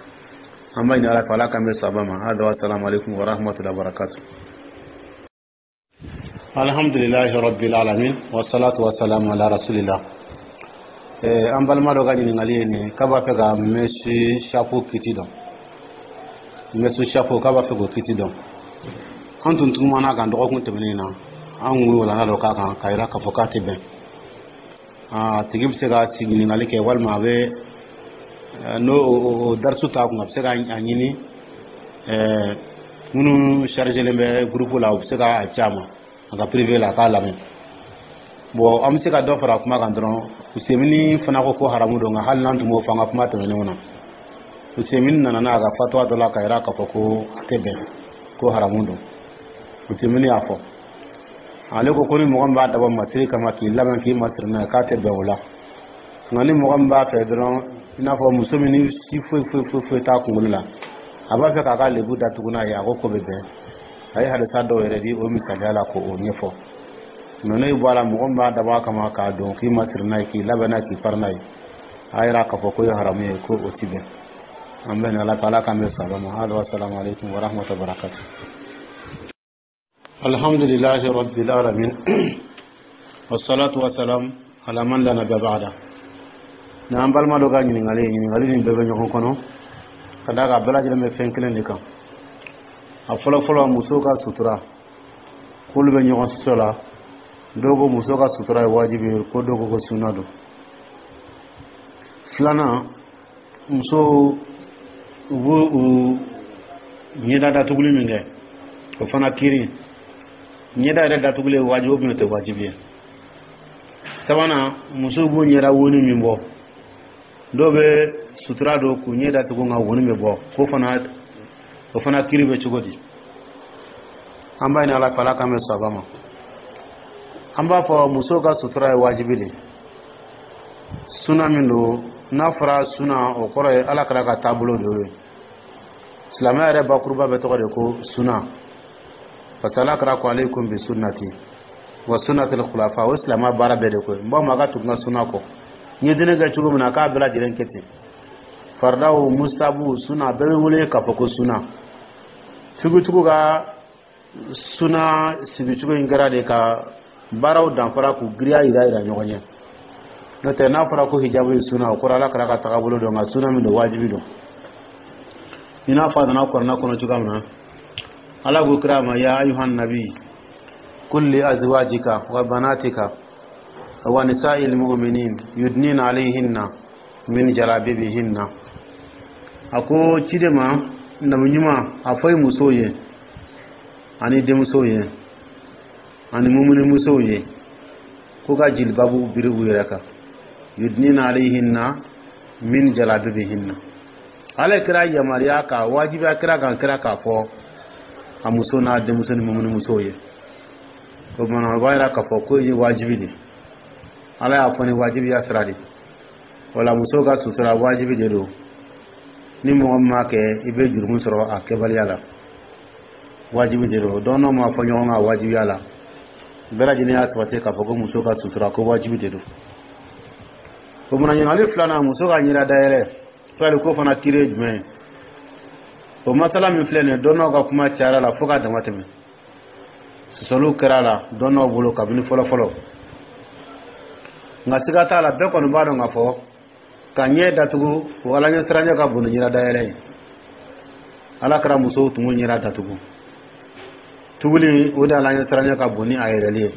An b'a ɲini Ala fɛ, Ala k'an bɛ saba ma. Hada wa salamu alaikum wa rahmatullahi wa barakatuh. Alhamdulillahi rabbil alamin, wa salatu wa salamu ala rasulillah. An balima dɔ ka ɲininkali ye nin ye, k'a b'a fɛ ka mèche chapeau kiti dɔn. Mèche chapeau, k'a b'a fɛ k'o kiti dɔn. An tun tumana kan dɔgɔkun tɛmɛnen na, an kun ye walanda dɔ k'a kan k'a yira k'a fɔ k'a tɛ bɛn. A tigi bɛ se ka sigi ɲininkali kɛ, walima a bɛ n'o o darisu t'a kun, a bɛ se ka a ɲini minnu chargelen bɛ groupe la, u bɛ se k'a ci a ma a ka privé la, a k'a lamɛn. Bon, an bɛ se ka dɔ fara kuma kan dɔrɔn. Usemini fana ko ko haramu don, nka hali n'an tun b'o fɔ an ka kuma tɛmɛnenw na, Usemini nana n'a ka fatuwa dɔ la ka yira k'a fɔ ko a tɛ bɛn, ko haramu don. Usemini y'a fɔ, ale ko ko ni mɔgɔ min b'a dabɔ masiri kama, k'i labɛn k'i masiri n'a ye, k'a tɛ bɛn o la. Nka ni mɔgɔ min b'a fɛ dɔrɔn, i n'a fɔ muso min ni si foyi foyi foyi foyi t'a kunkolo la, a b'a fɛ k'a ka lebu datugu n'a ye, a ko ko bɛ bɛn. A ye hadisa dɔw yɛrɛ di o misaliya la k'o ɲɛfɔ. Mɛ n'o bɔ a la, mɔgɔ min b'a dabɔ a kama k'a don k'i masiri n'a ye, k'i labɛn n'a ye, k'i fari n'a ye, a yira k'a fɔ ko ye haramu ye, ko o ti bɛn. An bɛ ni Ala fɛ, Ala k'an bɛn sababa ma. Hali wasalamu aleykum wa rahmatullahi wa barakatuh. Alhamdulillahi rabbil alamin, wassalatu wassalam ala man la nabiyya ba'da. Ni an balima dɔ ka ɲininkali ye, ɲininkali nin bɛɛ bɛ ɲɔgɔn kɔnɔ, ka d'a kan a bɛɛ lajɛlen bɛ fɛn kelen de kan. A fɔlɔ fɔlɔ, musow ka sutura, k'olu bɛ ɲɔgɔn sɔsɔ la. Dɔw ko muso ka sutura ye wajibi ye, ko dɔw ko ko sunna don. Filanan, musow u b'u u ɲɛda datuguli min kɛ, o fana kiri, ɲɛda yɛrɛ datuguli ye wajibi o tɛ wajibi ye. Sabanan, musow b'u ɲɛda woni min bɔ, dɔw bɛ sutura don k'u ɲɛ datugu, nka woni bɛ bɔ, k'o fana, o fana kiri bɛ cogo di? An b'a ɲini Ala fɛ, Ala k'an bɛ saba ma. An b'a fɔ musow ka sutura ye wajibi de. Suna min don, n'a fɔra suna, o kɔrɔ ye Ala kɛra ka taabolo de ye. Silamɛya yɛrɛ bakuruba bɛ tɔgɔ de ko suna, parce que Ala kɛra ko alaykum bi sunnati wa sunnatil khulafa. O silamɛya baara bɛɛ de ko n b'a ma, a ka tugu n ka suna kɔ. N ye diinɛ kɛ cogo min na, k'a bɛɛ lajɛlen kɛ ten. Faridaw, musabu, suna, bɛɛ bɛ wele k'a fɔ ko suna. Figutigiw ka suna sigicogo in kɛra de ka baaraw danfara k'u giriya yira yira ɲɔgɔn ɲɛ. N'o tɛ, n'a fɔra ko hijabu ye suna, o kɔrɔ Ala kɛra ka tagabolo dɔn, nka suna min don, wajibi don. I n'a fɔ a nana kuranɛ kɔnɔ cogoya min na, Ala ko kira ma: ya ayuhan nabi qul li azwajika wa banatika wa nisa'il mu'minin yudnina alayhinna min jalabibihinna. A ko ciden ma, nabi ɲuman, a fɔ i musow ye ani denmusow ye ani mumunimusow ye ko ka jilibabu biri u yɛrɛ kan. Yudnina alayhinna min jalabibihinna. Ala kira yamaruya ka wajibiya kira kan, kira k'a fɔ a muso n'a denmuso ni mumunimusow ye. O kumana, o b'a yira k'a fɔ ko ye wajibi de. Ala y'a fɔ ni wajibiya sira de. Wala muso ka sutura wajibi de don. Ni mɔgɔ min m'a kɛ, i bɛ jurumu sɔrɔ a kɛbaliya la. Wajibi de don. Dɔn ma fɔ ɲɔgɔn kan wajibiya la, bɛɛ lajɛlen y'a sabati k'a fɔ ko muso ka sutura, ko wajibi de don. O mana, ɲininkali filanan, muso ka ɲɛda dayɛlɛ fɛli, ko fana kiri ye jumɛn ye? O masala min filɛ nin ye, dɔnnaw ka kuma cayara la fo ka dama tɛmɛ. Sɔsɔliw kɛra a la dɔnnaw bolo kabini fɔlɔ fɔlɔ, nka siga t'a la, bɛɛ kɔni b'a dɔn k'a fɔ ka ɲɛ datugu o Ala ɲɛsiranɲɛ ka bon ni ɲɛda dayɛlɛ ye. Ala kɛra musow tun b'u ɲɛda datugu tuguli, o de Ala ɲɛsiranɲɛ ka bon ni a yɛrɛli ye.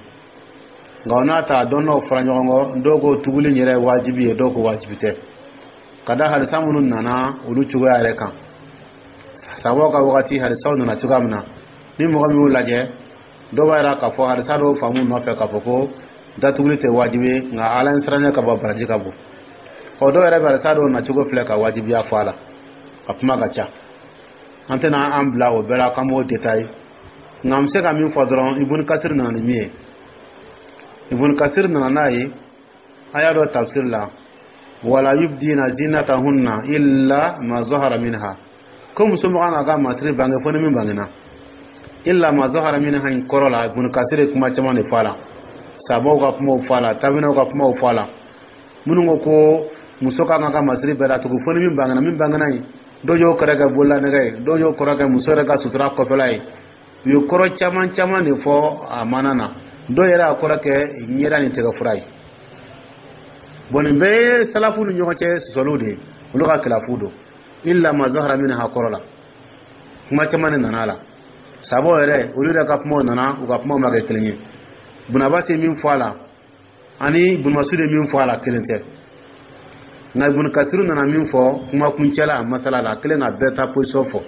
Nka o n'a ta, dɔnnaw fara ɲɔgɔn kɔ, dɔw ko tuguli yɛrɛ ye wajibi ye, dɔw ko wajibi tɛ, ka da hadisa minnu nana olu cogoya yɛrɛ kan. Sabaw ka wagati hadisaw nana cogoya min na, ni mɔgɔ min y'o lajɛ, dɔw b'a yira k'a fɔ hadisa dɔw faamu nɔfɛ k'a fɔ ko datuguli tɛ wajibi ye, nka Ala ɲɛsiranɲɛ ka bon, baraji ka bon. Ɔ, dɔw yɛrɛ bɛ hadisa dɔw nacogo filɛ ka wajibiya fɔ a la. A kuma ka ca, an tɛna an bila o bɛɛ la k'an b'o détail, nka an bɛ se ka min fɔ dɔrɔn, Ibn Kasir nana ni min ye, Ibn Kasir nana n'a ye a y'a dɔn tafsir la: wala yubdina zinatahunna illa ma zahara minha. Ko muso ma kan ka masiri bange fo ni min bangena. Illa ma zahara minha in kɔrɔ la, Ibn Kasir ye kuma caman de fɔ a la. Sabaw ka kumaw fɔ a la, tabinaw ka kumaw fɔ a la. Minnu ko ko muso ka kan ka masiri bɛɛ datugu fo ni min bangena, min bangena yen, dɔw y'o kɔrɔ kɛ bololanɛgɛ ye, dɔw y'o kɔrɔ kɛ muso yɛrɛ ka sutura kɔfɛla ye. U ye kɔrɔ caman caman de fɔ a mana na. Dɔw yɛrɛ y'a kɔrɔ kɛ ɲɛda ni tɛgɛ fura ye. Bon, nin bɛɛ ye salafu ni ɲɔgɔn cɛ sɔsɔliw de ye, olu ka kilafu don. Illa ma zahara minha kɔrɔ la, kuma caman de nana a la. Sabaw yɛrɛ, olu yɛrɛ ka kumaw nana, u ka kumaw ma kɛ kelen ye. Bunabasi ye min fɔ a la ani Bunumasudu ye min fɔ a la, kelen tɛ. Nka Ibunu Kasiru nana min fɔ kuma kuncɛ la masala la, a kelen ka bɛɛ ta position fɔ.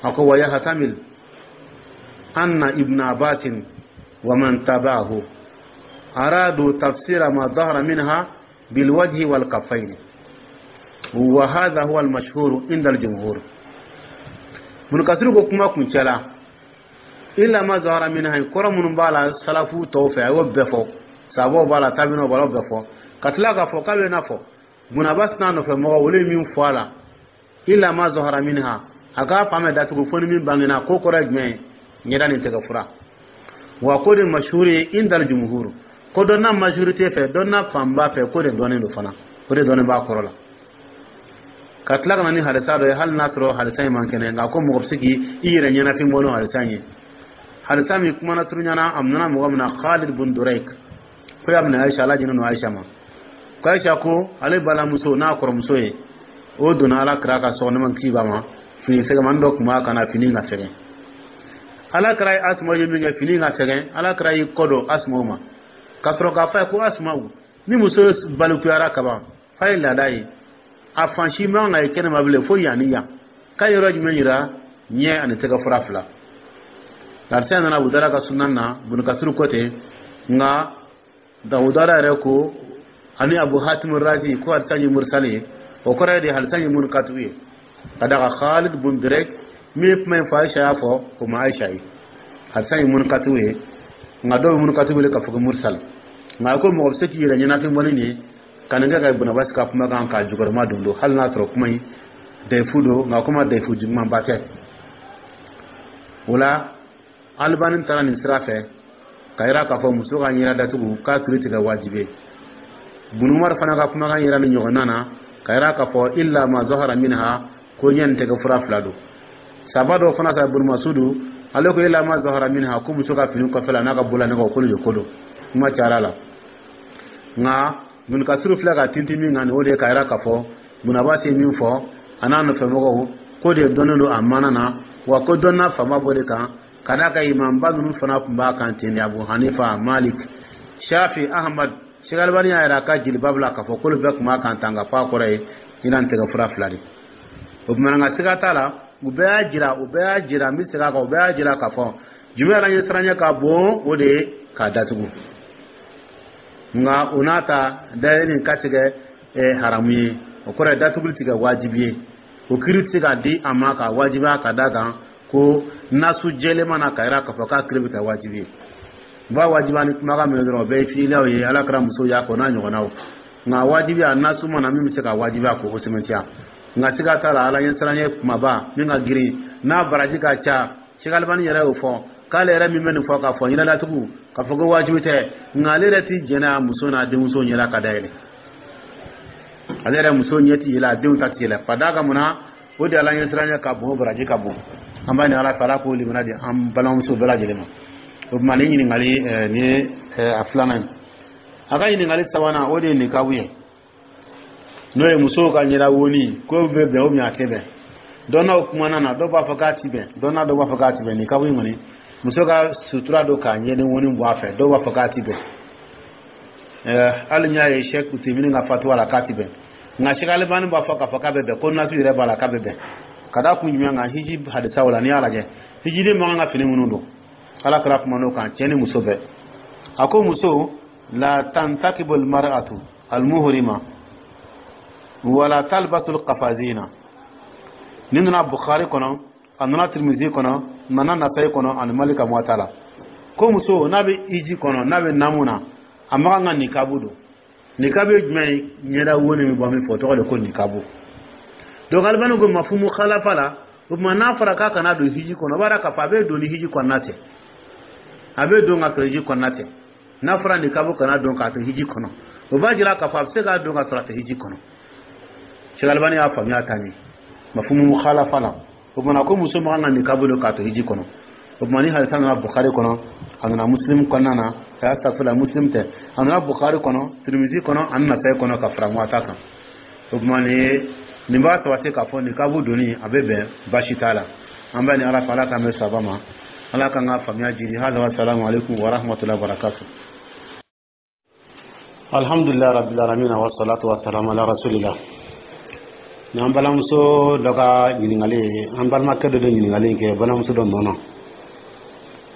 A ko: wa yahtamil anna Ibn Abbasin wa man tabahu aradu tafsira ma zahara minha bilwajhi wal kaffayn, wa hadha huwa al mashhur inda al jumhur. Ibn Kasiru ko kuma kuncɛ la, illa ma zahara minha kɔrɔ minnu b'a la salafu tɔw fɛ, a y'o bɛɛ fɔ, sabaw b'a la, tabinaw b'a la, o bɛɛ fɔ, ka tila k'a fɔ k'a bɛ n'a fɔ Bunabas n'a nɔfɛ mɔgɔ, olu ye min fɔ a la, illa ma zahara minha, a k'a fan bɛɛ datugu fo ni min bangena. Ko kɔrɔ ye jumɛn ye? Ɲɛda ni tɛgɛ fura. Wa ko de mashhur ye indal jumhur, ko dɔ n'a majorité fɛ, dɔ n'a fanba fɛ, ko de dɔnnen don fana, o de dɔnnen b'a kɔrɔ la. Ka tila ka na ni hadisa dɔ ye, hali n'a sɔrɔ hadisa in man kɛnɛ, nka ko mɔgɔ bɛ se k'i yɛrɛ ɲɛnafin bɔ n'o hadisa in ye. Hadisa min kumana turuɲana, a nana mɔgɔ min na, Khalid bun Duraik, ko y'a minɛ Aisha, Ala jɛnɛ don Aisha ma, ko Aisha ko ale balimamuso n'a kɔrɔmuso ye, o donna Ala kira ka so kɔnɔ, ma kisi b'a ma, fini fɛgɛmani dɔ tun b'a kan na, fini ka fɛgɛn. Ala kira ye Asuma ye min kɛ, fini ka fɛgɛn, Ala kira y'i kɔ don Asumaw ma ka sɔrɔ k'a fɔ a ye ko: Asumaw, ni muso balikuyara kaban, f'a ye laada ye, a fan si man ka ye kɛnɛma bilen fo yan ni yan. K'a yɔrɔ jumɛn yira? Ɲɛ ani tɛgɛ fura fila. Hadisa nana Abu Dawuda ka sunan na, Bunukasiru ko ten. Nka Abu Dawuda yɛrɛ ko ani Abu Hatim Razi ko hadisa ye mursali ye. O kɔrɔ ye de hadisa ye munkatu ye, ka da kan Khalid bun Durek min ye kuma in fɔ, Aisha y'a fɔ, o ma Aisha ye. Hadisa ye munkatu ye, nka dɔw bɛ munkatu wele k'a fɔ ko mursal. Nka a ko mɔgɔ bɛ se k'i yɛrɛ ɲɛnafin bɔ ni nin ye, ka nin kɛ ka Bunabasi ka kumakan k'a jukɔrɔma don don, hali n'a sɔrɔ kuma in dayifu don, nka kuma dayifu jugumanba tɛ. O la, Alibani taara nin sira fɛ ka yira k'a fɔ muso ka ɲɛda datugu k'a kiri tigɛ wajibi ye. Bunumar fana ka kumakan yira ni ɲɔgɔnna na, ka yira k'a fɔ illa ma zahara minha, ko ɲɛ nin tɛgɛ fura fila don. Saba dɔw fana sa, Bunumasudu ale ko illa ma zahara minha, ko muso ka fini kɔfɛ la n'a ka bolola nɛgɛ, k'olu de ko don. Kuma cayara la, nka Bunukasiru filɛ ka tintin min kan nin, o de ye ka yira k'a fɔ Bunabasi ye min fɔ a n'a nɔfɛmɔgɔw, ko de dɔnnen don a mana na, wa ko dɔnna fanba b'o de kan, ka d'a kan imamba ninnu fana tun b'a kan ten de: Abu Hanifa, Malik, Shafi, Ahmad. Sheikh Albani y'a yira a ka jilibabu la k'a fɔ k'olu bɛɛ tun b'a kan tan, ka fɔ a kɔrɔ ye ɲinan tɛgɛ fura fila de. O tuma nka siga t'a la, u bɛɛ y'a jira, u bɛɛ y'a jira, n bɛ segin a kan, u bɛɛ y'a jira k'a fɔ jumɛn yɛrɛ ɲɛsiranɲɛ ka bon, o de ye k'a datugu. Nka o n'a ta, dayɛlɛ nin ka tigɛ haramu ye, o kɔrɔ ye datuguli tigɛ wajibi ye. O kiri tɛ se ka di a ma ka wajibiya, ka d'a kan ko nasu jɛlen mana ka yira k'a fɔ k'a kiri bɛ kɛ wajibi ye. U b'a wajibiya ni kumakan min ye dɔrɔn, o bɛɛ ye filaw ye, Ala kɛra muso y'a kɔ n'a ɲɔgɔnnaw. Nka wajibiya nasu mana min bɛ se ka wajibiya k'o sɛmɛntiya. Nka siga t'a la, Ala ɲɛsiranɲɛ kumaba min ka girin n'a baraji ka ca, Sheikh Albani yɛrɛ y'o fɔ k'ale yɛrɛ min bɛ nin fɔ k'a fɔ ɲɛdatugu k'a fɔ ko wajibi tɛ, nka ale yɛrɛ ti jɛnɛ a muso n'a denmuso ɲɛla ka dayɛlɛ. Ale yɛrɛ muso ɲɛ ti yɛlɛ, a denw ta ti yɛlɛ, ka d'a kan munna? O de Ala ɲɛsiranɲɛ ka bon, o baraji ka bon. An b'a ɲini Ala fɛ, Ala k'o limaniya di an balimamuso bɛɛ lajɛlen ma. O tuma ni ɲininkali nin ye a filanan ye. A ka ɲininkali sabanan, o de ye nikabu ye, n'o ye musow ka ɲɛda woni, ko bɛ bɛn ou bien a tɛ bɛn. Dɔnnaw kumana na, dɔw b'a fɔ k'a ti bɛn, dɔnna dɔw b'a fɔ k'a ti bɛn. Nikabu in kɔni, muso ka sutura don k'a ɲɛden woni bɔ a fɛ, dɔw b'a fɔ k'a ti bɛn. Hali n y'a ye Sheikh Utemini ka fatuwa la k'a ti bɛn, nka Sheikh Albani b'a fɔ k'a fɔ k'a bɛ bɛn, ko nasu yɛrɛ b'a la k'a bɛ bɛn. Ka da kun jumɛn kan? Hiji hadisaw la, n'i y'a lajɛ, hijiden man kan ka fini minnu don, Ala kɛra kuma n'o kan, cɛ ni muso bɛɛ. A ko muso la tantakibu almar'atu almuhrima wala talbasu alqafazina. Nin nana Bukhari kɔnɔ, a nana Tirmizi kɔnɔ, nana Nasayi kɔnɔ ani Malika Muwata la, ko muso n'a bɛ hiji kɔnɔ, n'a bɛ namu na, a man kan ka nikabu don. Nikabu ye jumɛn ye? Ɲɛda wo ni min bɔ min fɔ, o tɔgɔ de ko nikabu. Donc Alibani ko mafumu khalafa la, o tuma n'a fɔra k'a kana don hiji kɔnɔ, o b'a dɔn k'a fɔ a bɛ don ni hiji kɔnɔna tɛ, a bɛ don ka sɔrɔ hiji kɔnɔna tɛ. N'a fɔra nikabu kana don k'a to hiji kɔnɔ, o b'a jira k'a fɔ a bɛ se k'a don ka sɔrɔ a tɛ hiji kɔnɔ. Cheikh Albani y'a faamuya tan ye mafumu khalafa la. O tuma ko muso man kan ka nikabu don k'a to hiji kɔnɔ. O tuma ni hadisa nana Bukhari kɔnɔ, a nana Muslim kɔnɔna na. Astafurla, Muslim tɛ, a nana Bukhari kɔnɔ, Tirimizi kɔnɔ ani Nasayi kɔnɔ ka fara Muwata kan. O tuma nin ye, nin b'a sabati k'a fɔ nikabu donni a bɛ bɛn, baasi t'a la. An bɛ ni Ala fɛ, Ala k'an bɛ saba ma, Ala k'an ka faamuya jiri. Hada wa salamu alaikum wa rahmatullahi wa barakatuh. Alhamdulillah rabbil alamin, wa salatu wa salam ala rasulillah. Ni an balimamuso dɔ ka ɲininkali ye, an balimakɛ dɔ de ɲininkali kɛ balimamuso dɔ nɔ na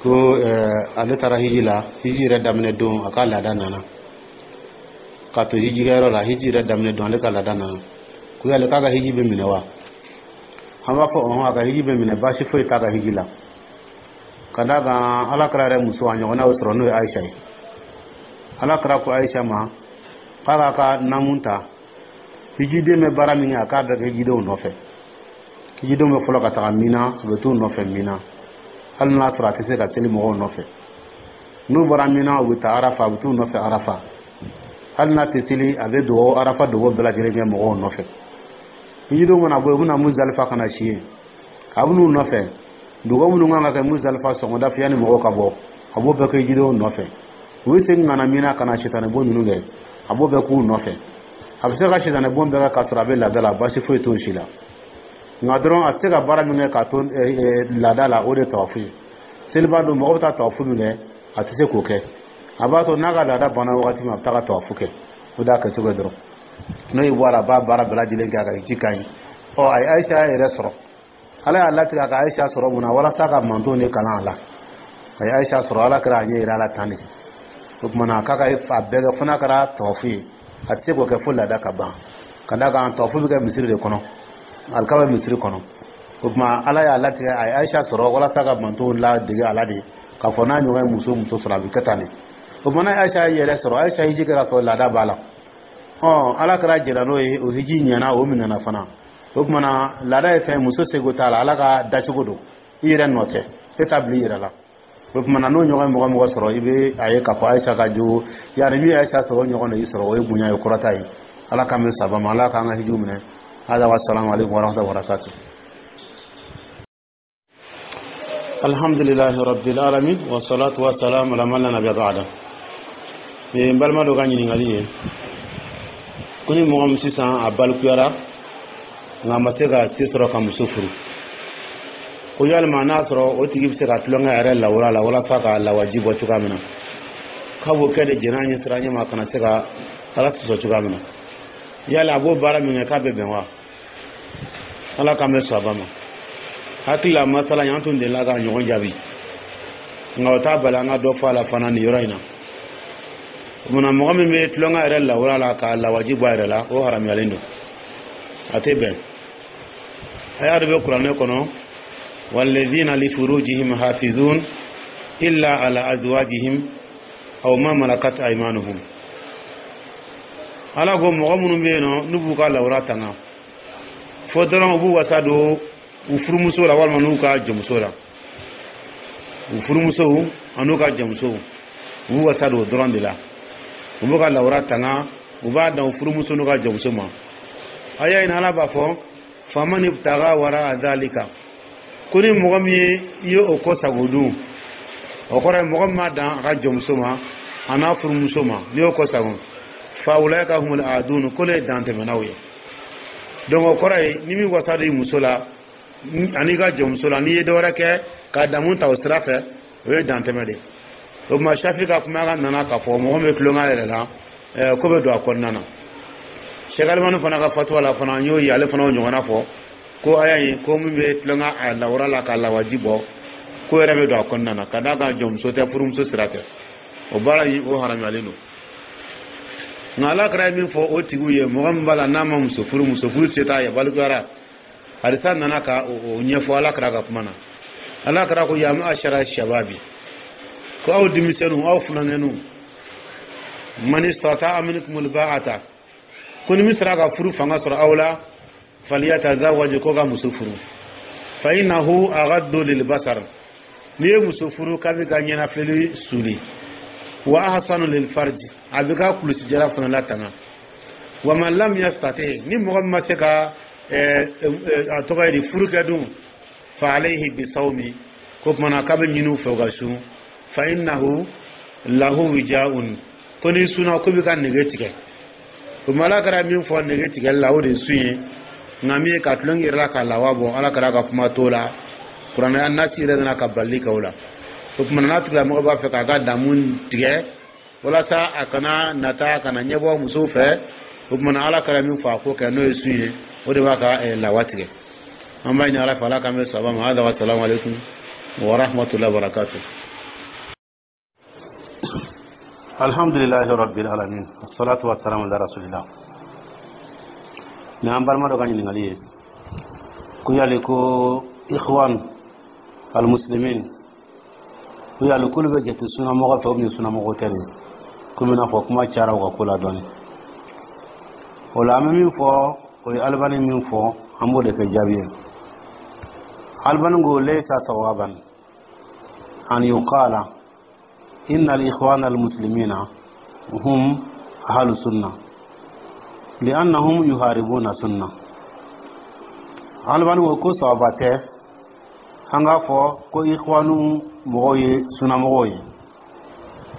ko ale taara hiji la. Hiji yɛrɛ daminɛ don, a ka laada nana k'a to hijikɛyɔrɔ la. Hiji yɛrɛ daminɛ don, ale ka laada nana, ko yali k'a ka hiji bɛ minɛ wa? An b'a fɔ ɔhɔn, a ka hiji bɛ minɛ, baasi foyi t'a ka hiji la, ka d'a kan Ala kɛra yɛrɛ muso a ɲɔgɔnnaw sɔrɔ, n'o ye Ayisa ye. Ala kɛra ko Ayisa ma k'a k'a ka namu ta, hijiden bɛ baara min kɛ, a k'a bɛɛ kɛ hijidenw nɔfɛ. Hijidenw bɛ fɔlɔ ka taga Mina, u bɛ t'u nɔfɛ Mina, hali n'a sɔrɔ a tɛ se ka seli mɔgɔw nɔfɛ. N'u bɔra Mina, u bɛ taa Arafa, a bɛ t'u nɔfɛ Arafa, hali n'a tɛ seli, a bɛ dugawu, Arafa dugawu bɛɛ lajɛlen kɛ mɔgɔw nɔfɛ. Hijidenw mana bɔ yen, u bɛna Muzalifa ka na si yen, a bɛ n'u nɔfɛ. Dugawu minnu kan ka kɛ Muzalifa sɔgɔmada fɛ yanni mɔgɔw ka bɔ, a b'o bɛɛ kɛ hijidenw nɔfɛ. U bɛ segin ka na Mina ka na sitanɛbon ninnu kɛ, a b'o bɛɛ k'u nɔfɛ. A bɛ se ka sitanɛbon bɛɛ kɛ k'a sɔrɔ a bɛ laada la, baasi foyi t'o si la. Nka dɔrɔn a tɛ se ka baara min kɛ k'a to laada la, o de ye tawafu ye. Seliba don, mɔgɔ bɛ taa tawafu min kɛ, a tɛ se k'o kɛ. A b'a to n'a ka laada banna wagati min, a bɛ taa ka tawafu kɛ. O de y'a kɛcogo ye dɔrɔn. N'o y'i bɔ a la, a b'a baara bɛɛ lajɛlen kɛ, a ka hiji ka ɲi. Ɔ, a ye Ayisa yɛrɛ sɔrɔ. Ala y'a latigɛ a ka Ayisa sɔrɔ mun na? Walasa ka mantonw de kalan a la. A ye Ayisa sɔrɔ, Ala kɛra a ɲɛ yira a la tan de. O tuma na k'a ka a bɛɛ kɛ, fo n'a kɛra tawafu ye, a tɛ se k'o kɛ fo laada ka ban, ka d'a kan tawafu bɛ kɛ misiri de kɔnɔ, alikaba bɛ misiri kɔnɔ. O tuma Ala y'a latigɛ a ye Ayisa sɔrɔ walasa ka mantonw ladege a la de, k'a fɔ n'a ɲɔgɔn ye muso muso sɔrɔ, a bɛ kɛ tan de. O tuma n'a ye Ayisa yɛrɛ sɔrɔ, Ayisa hiji kɛ ka sɔrɔ laada b'a la. Ɔ, Ala kɛra jɛra n'o ye, o hiji ɲɛna, o minɛna fana. O tuma na laada ye fɛn, muso seko t'a la, Ala ka dacogo don, i yɛrɛ nɔ tɛ, e t'a bila i yɛrɛ la. O tuma na n'o ɲɔgɔn ye mɔgɔ mɔgɔ sɔrɔ, i bɛ a ye k'a fɔ Ayisa ka jogo yanni min ye Ayisa sɔrɔ, o ɲɔgɔn de y'i sɔrɔ, o ye bonya ye, kɔrɔta ye. Ala k'an bɛ saba ma, Ala k'an ka hijiw minɛ. Hada wa salamu alaikum wa rahmatullahi wa barakatuh. Alhamdulillahi rabbil alamin, wa salatu wa salam ala man la nabiyya ba'da. Nin n balima dɔ ka ɲininkali ye ko ni mɔgɔ min sisan a balikuyara nka a ma se ka se sɔrɔ ka muso furu, ko yalima n'a sɔrɔ o tigi bɛ se ka tulonkɛ a yɛrɛ lawura la walasa ka lawaji bɔ cogoya min na, k'a b'o kɛ de jɛn'a ɲɛ sira ɲɛ ma, kana se ka Ala sɔsɔ cogoya min na, yala a b'o baara min kɛ, k'a bɛ bɛn wa? Ala k'an bɛ sɔn a ma. Hakili la, masala in, an tun delila ka ɲɔgɔn jaabi, nka o t'a bali an ka dɔ fɔ a la fana nin yɔrɔ in na. Munna mɔgɔ min bɛ tulonkɛ yɛrɛ lawura la ka lawaji bɔ a yɛrɛ la, o haramuyalen don, a tɛ bɛn. Aya dɔ bɛ kuranɛ kɔnɔ: walladhina li furujihim hafizun illa ala azwajihim aw ma malakat aymanuhum. Ala ko mɔgɔ minnu bɛ yen nɔ, n'u b'u ka lawura tanga, fo dɔrɔn u b'u wasa don u furumuso la walima n'u ka jɔnmuso la, u furumusow an'u ka jɔnmusow, u b'u wasa don o dɔrɔn de la, u b'u ka lawura tanga, u b'a dan u furumuso n'u ka jɔnmuso ma. Aya in, Ala b'a fɔ: faman ibtaga wara dhalika, ko ni mɔgɔ min ye i ye o kɔ sago dun, o kɔrɔ ye mɔgɔ min m'a dan a ka jɔnmuso ma a n'a furumuso ma, n'i y'o kɔ sago, fa ulaika humul adun, ko ne ye dantɛmɛnaw ye. Donc o kɔrɔ ye ni min wasa don i muso la ani ka jɔnmuso la, n'i ye dɔ wɛrɛ kɛ ka damu ta o sira fɛ, o ye dantɛmɛ de ye. O tuma Safi ka kumakan nana k'a fɔ mɔgɔ min bɛ tulonkɛ yɛrɛ la, ko bɛ don a kɔnɔna na. Sɛki Alimani fana ka fatuwa la fana, n y'o ye, ale fana y'o ɲɔgɔnna fɔ ko aya in, ko min bɛ tulonkɛ a lawura la ka lawaji bɔ, ko yɛrɛ bɛ don a kɔnɔna na, ka d'a kan jɔnmuso tɛ, furumuso sira tɛ, o baara in, o haramuyalen don. Nka Ala kɛra ye min fɔ o tigiw ye, mɔgɔ min b'a la n'a ma muso furu, muso furu se t'a ye, balikuyara, hadisa nana ka o ɲɛfɔ Ala kɛra ka kuma na. Ala kɛra ko: ya ma'ashara shababi, ko aw denmisɛnninw, aw funankɛninw, man istata'a minkumul ba'ata, ko ni min sera ka furu fanga sɔrɔ aw la, falyatazawwaj, ko ka muso furu, fa innahu aghaddu lil basar, n'i ye muso furu k'a bɛ ka ɲɛnafilɛli suli, wa ahsanu lil farji, a bɛ ka kulusijala fana latanga, wa man lam yastati, ni mɔgɔ min ma se ka a tɔgɔ ye di, furu kɛ dun, fa alayhi bisawmi, ko kumana k'a bɛ ɲini u fɛ u ka sun, fa innahu Lahu wijaun, ko n'i sunna, ko b'i ka nege tigɛ. O ma, Ala kɛra min fɔ nege tigɛli la, o de ye sun ye. Nka min ye ka tulon yɛrɛ la ka lawa bɔ, Ala kɛra ka kuma t'o la. Kuranɛ nasi yɛrɛ nana ka balili kɛ o la. O tuma n'a tigilamɔgɔ b'a fɛ k'a ka damu tigɛ walasa a kana nata kana ɲɛbɔ musow fɛ, o tuma Ala kɛra min fɔ, a k'o kɛ, n'o ye sun ye, o de b'a ka lawa tigɛ. An b'a ɲini Ala fɛ, Ala k'an bɛ saba ma. Hada wa salamu aleykum wa rahmatullahi wa barakatuh. Alhamdulillahi rabbil alamin, wassalatu wassalamu ala rasulillah. Ni an balima dɔ ka ɲininkali ye ko yali ko ikhwan almuslimin, ko yali k'olu bɛ jate sunamɔgɔ fɛ ou bien sunamɔgɔ tɛ de, komi n'a fɔ kuma cayara u ka ko la dɔɔni. O la, an bɛ min fɔ, o ye Alibani min fɔ, an b'o de kɛ jaabi ye. Alibani ko laysa sawaban an yuqala inna al-ikhwana al-muslimina hum ahlu sunna li'annahum yuharibuna sunna. Alibani ko ko sawaba tɛ an k'a fɔ ko ikhwanu mɔgɔw ye sunamɔgɔw ye,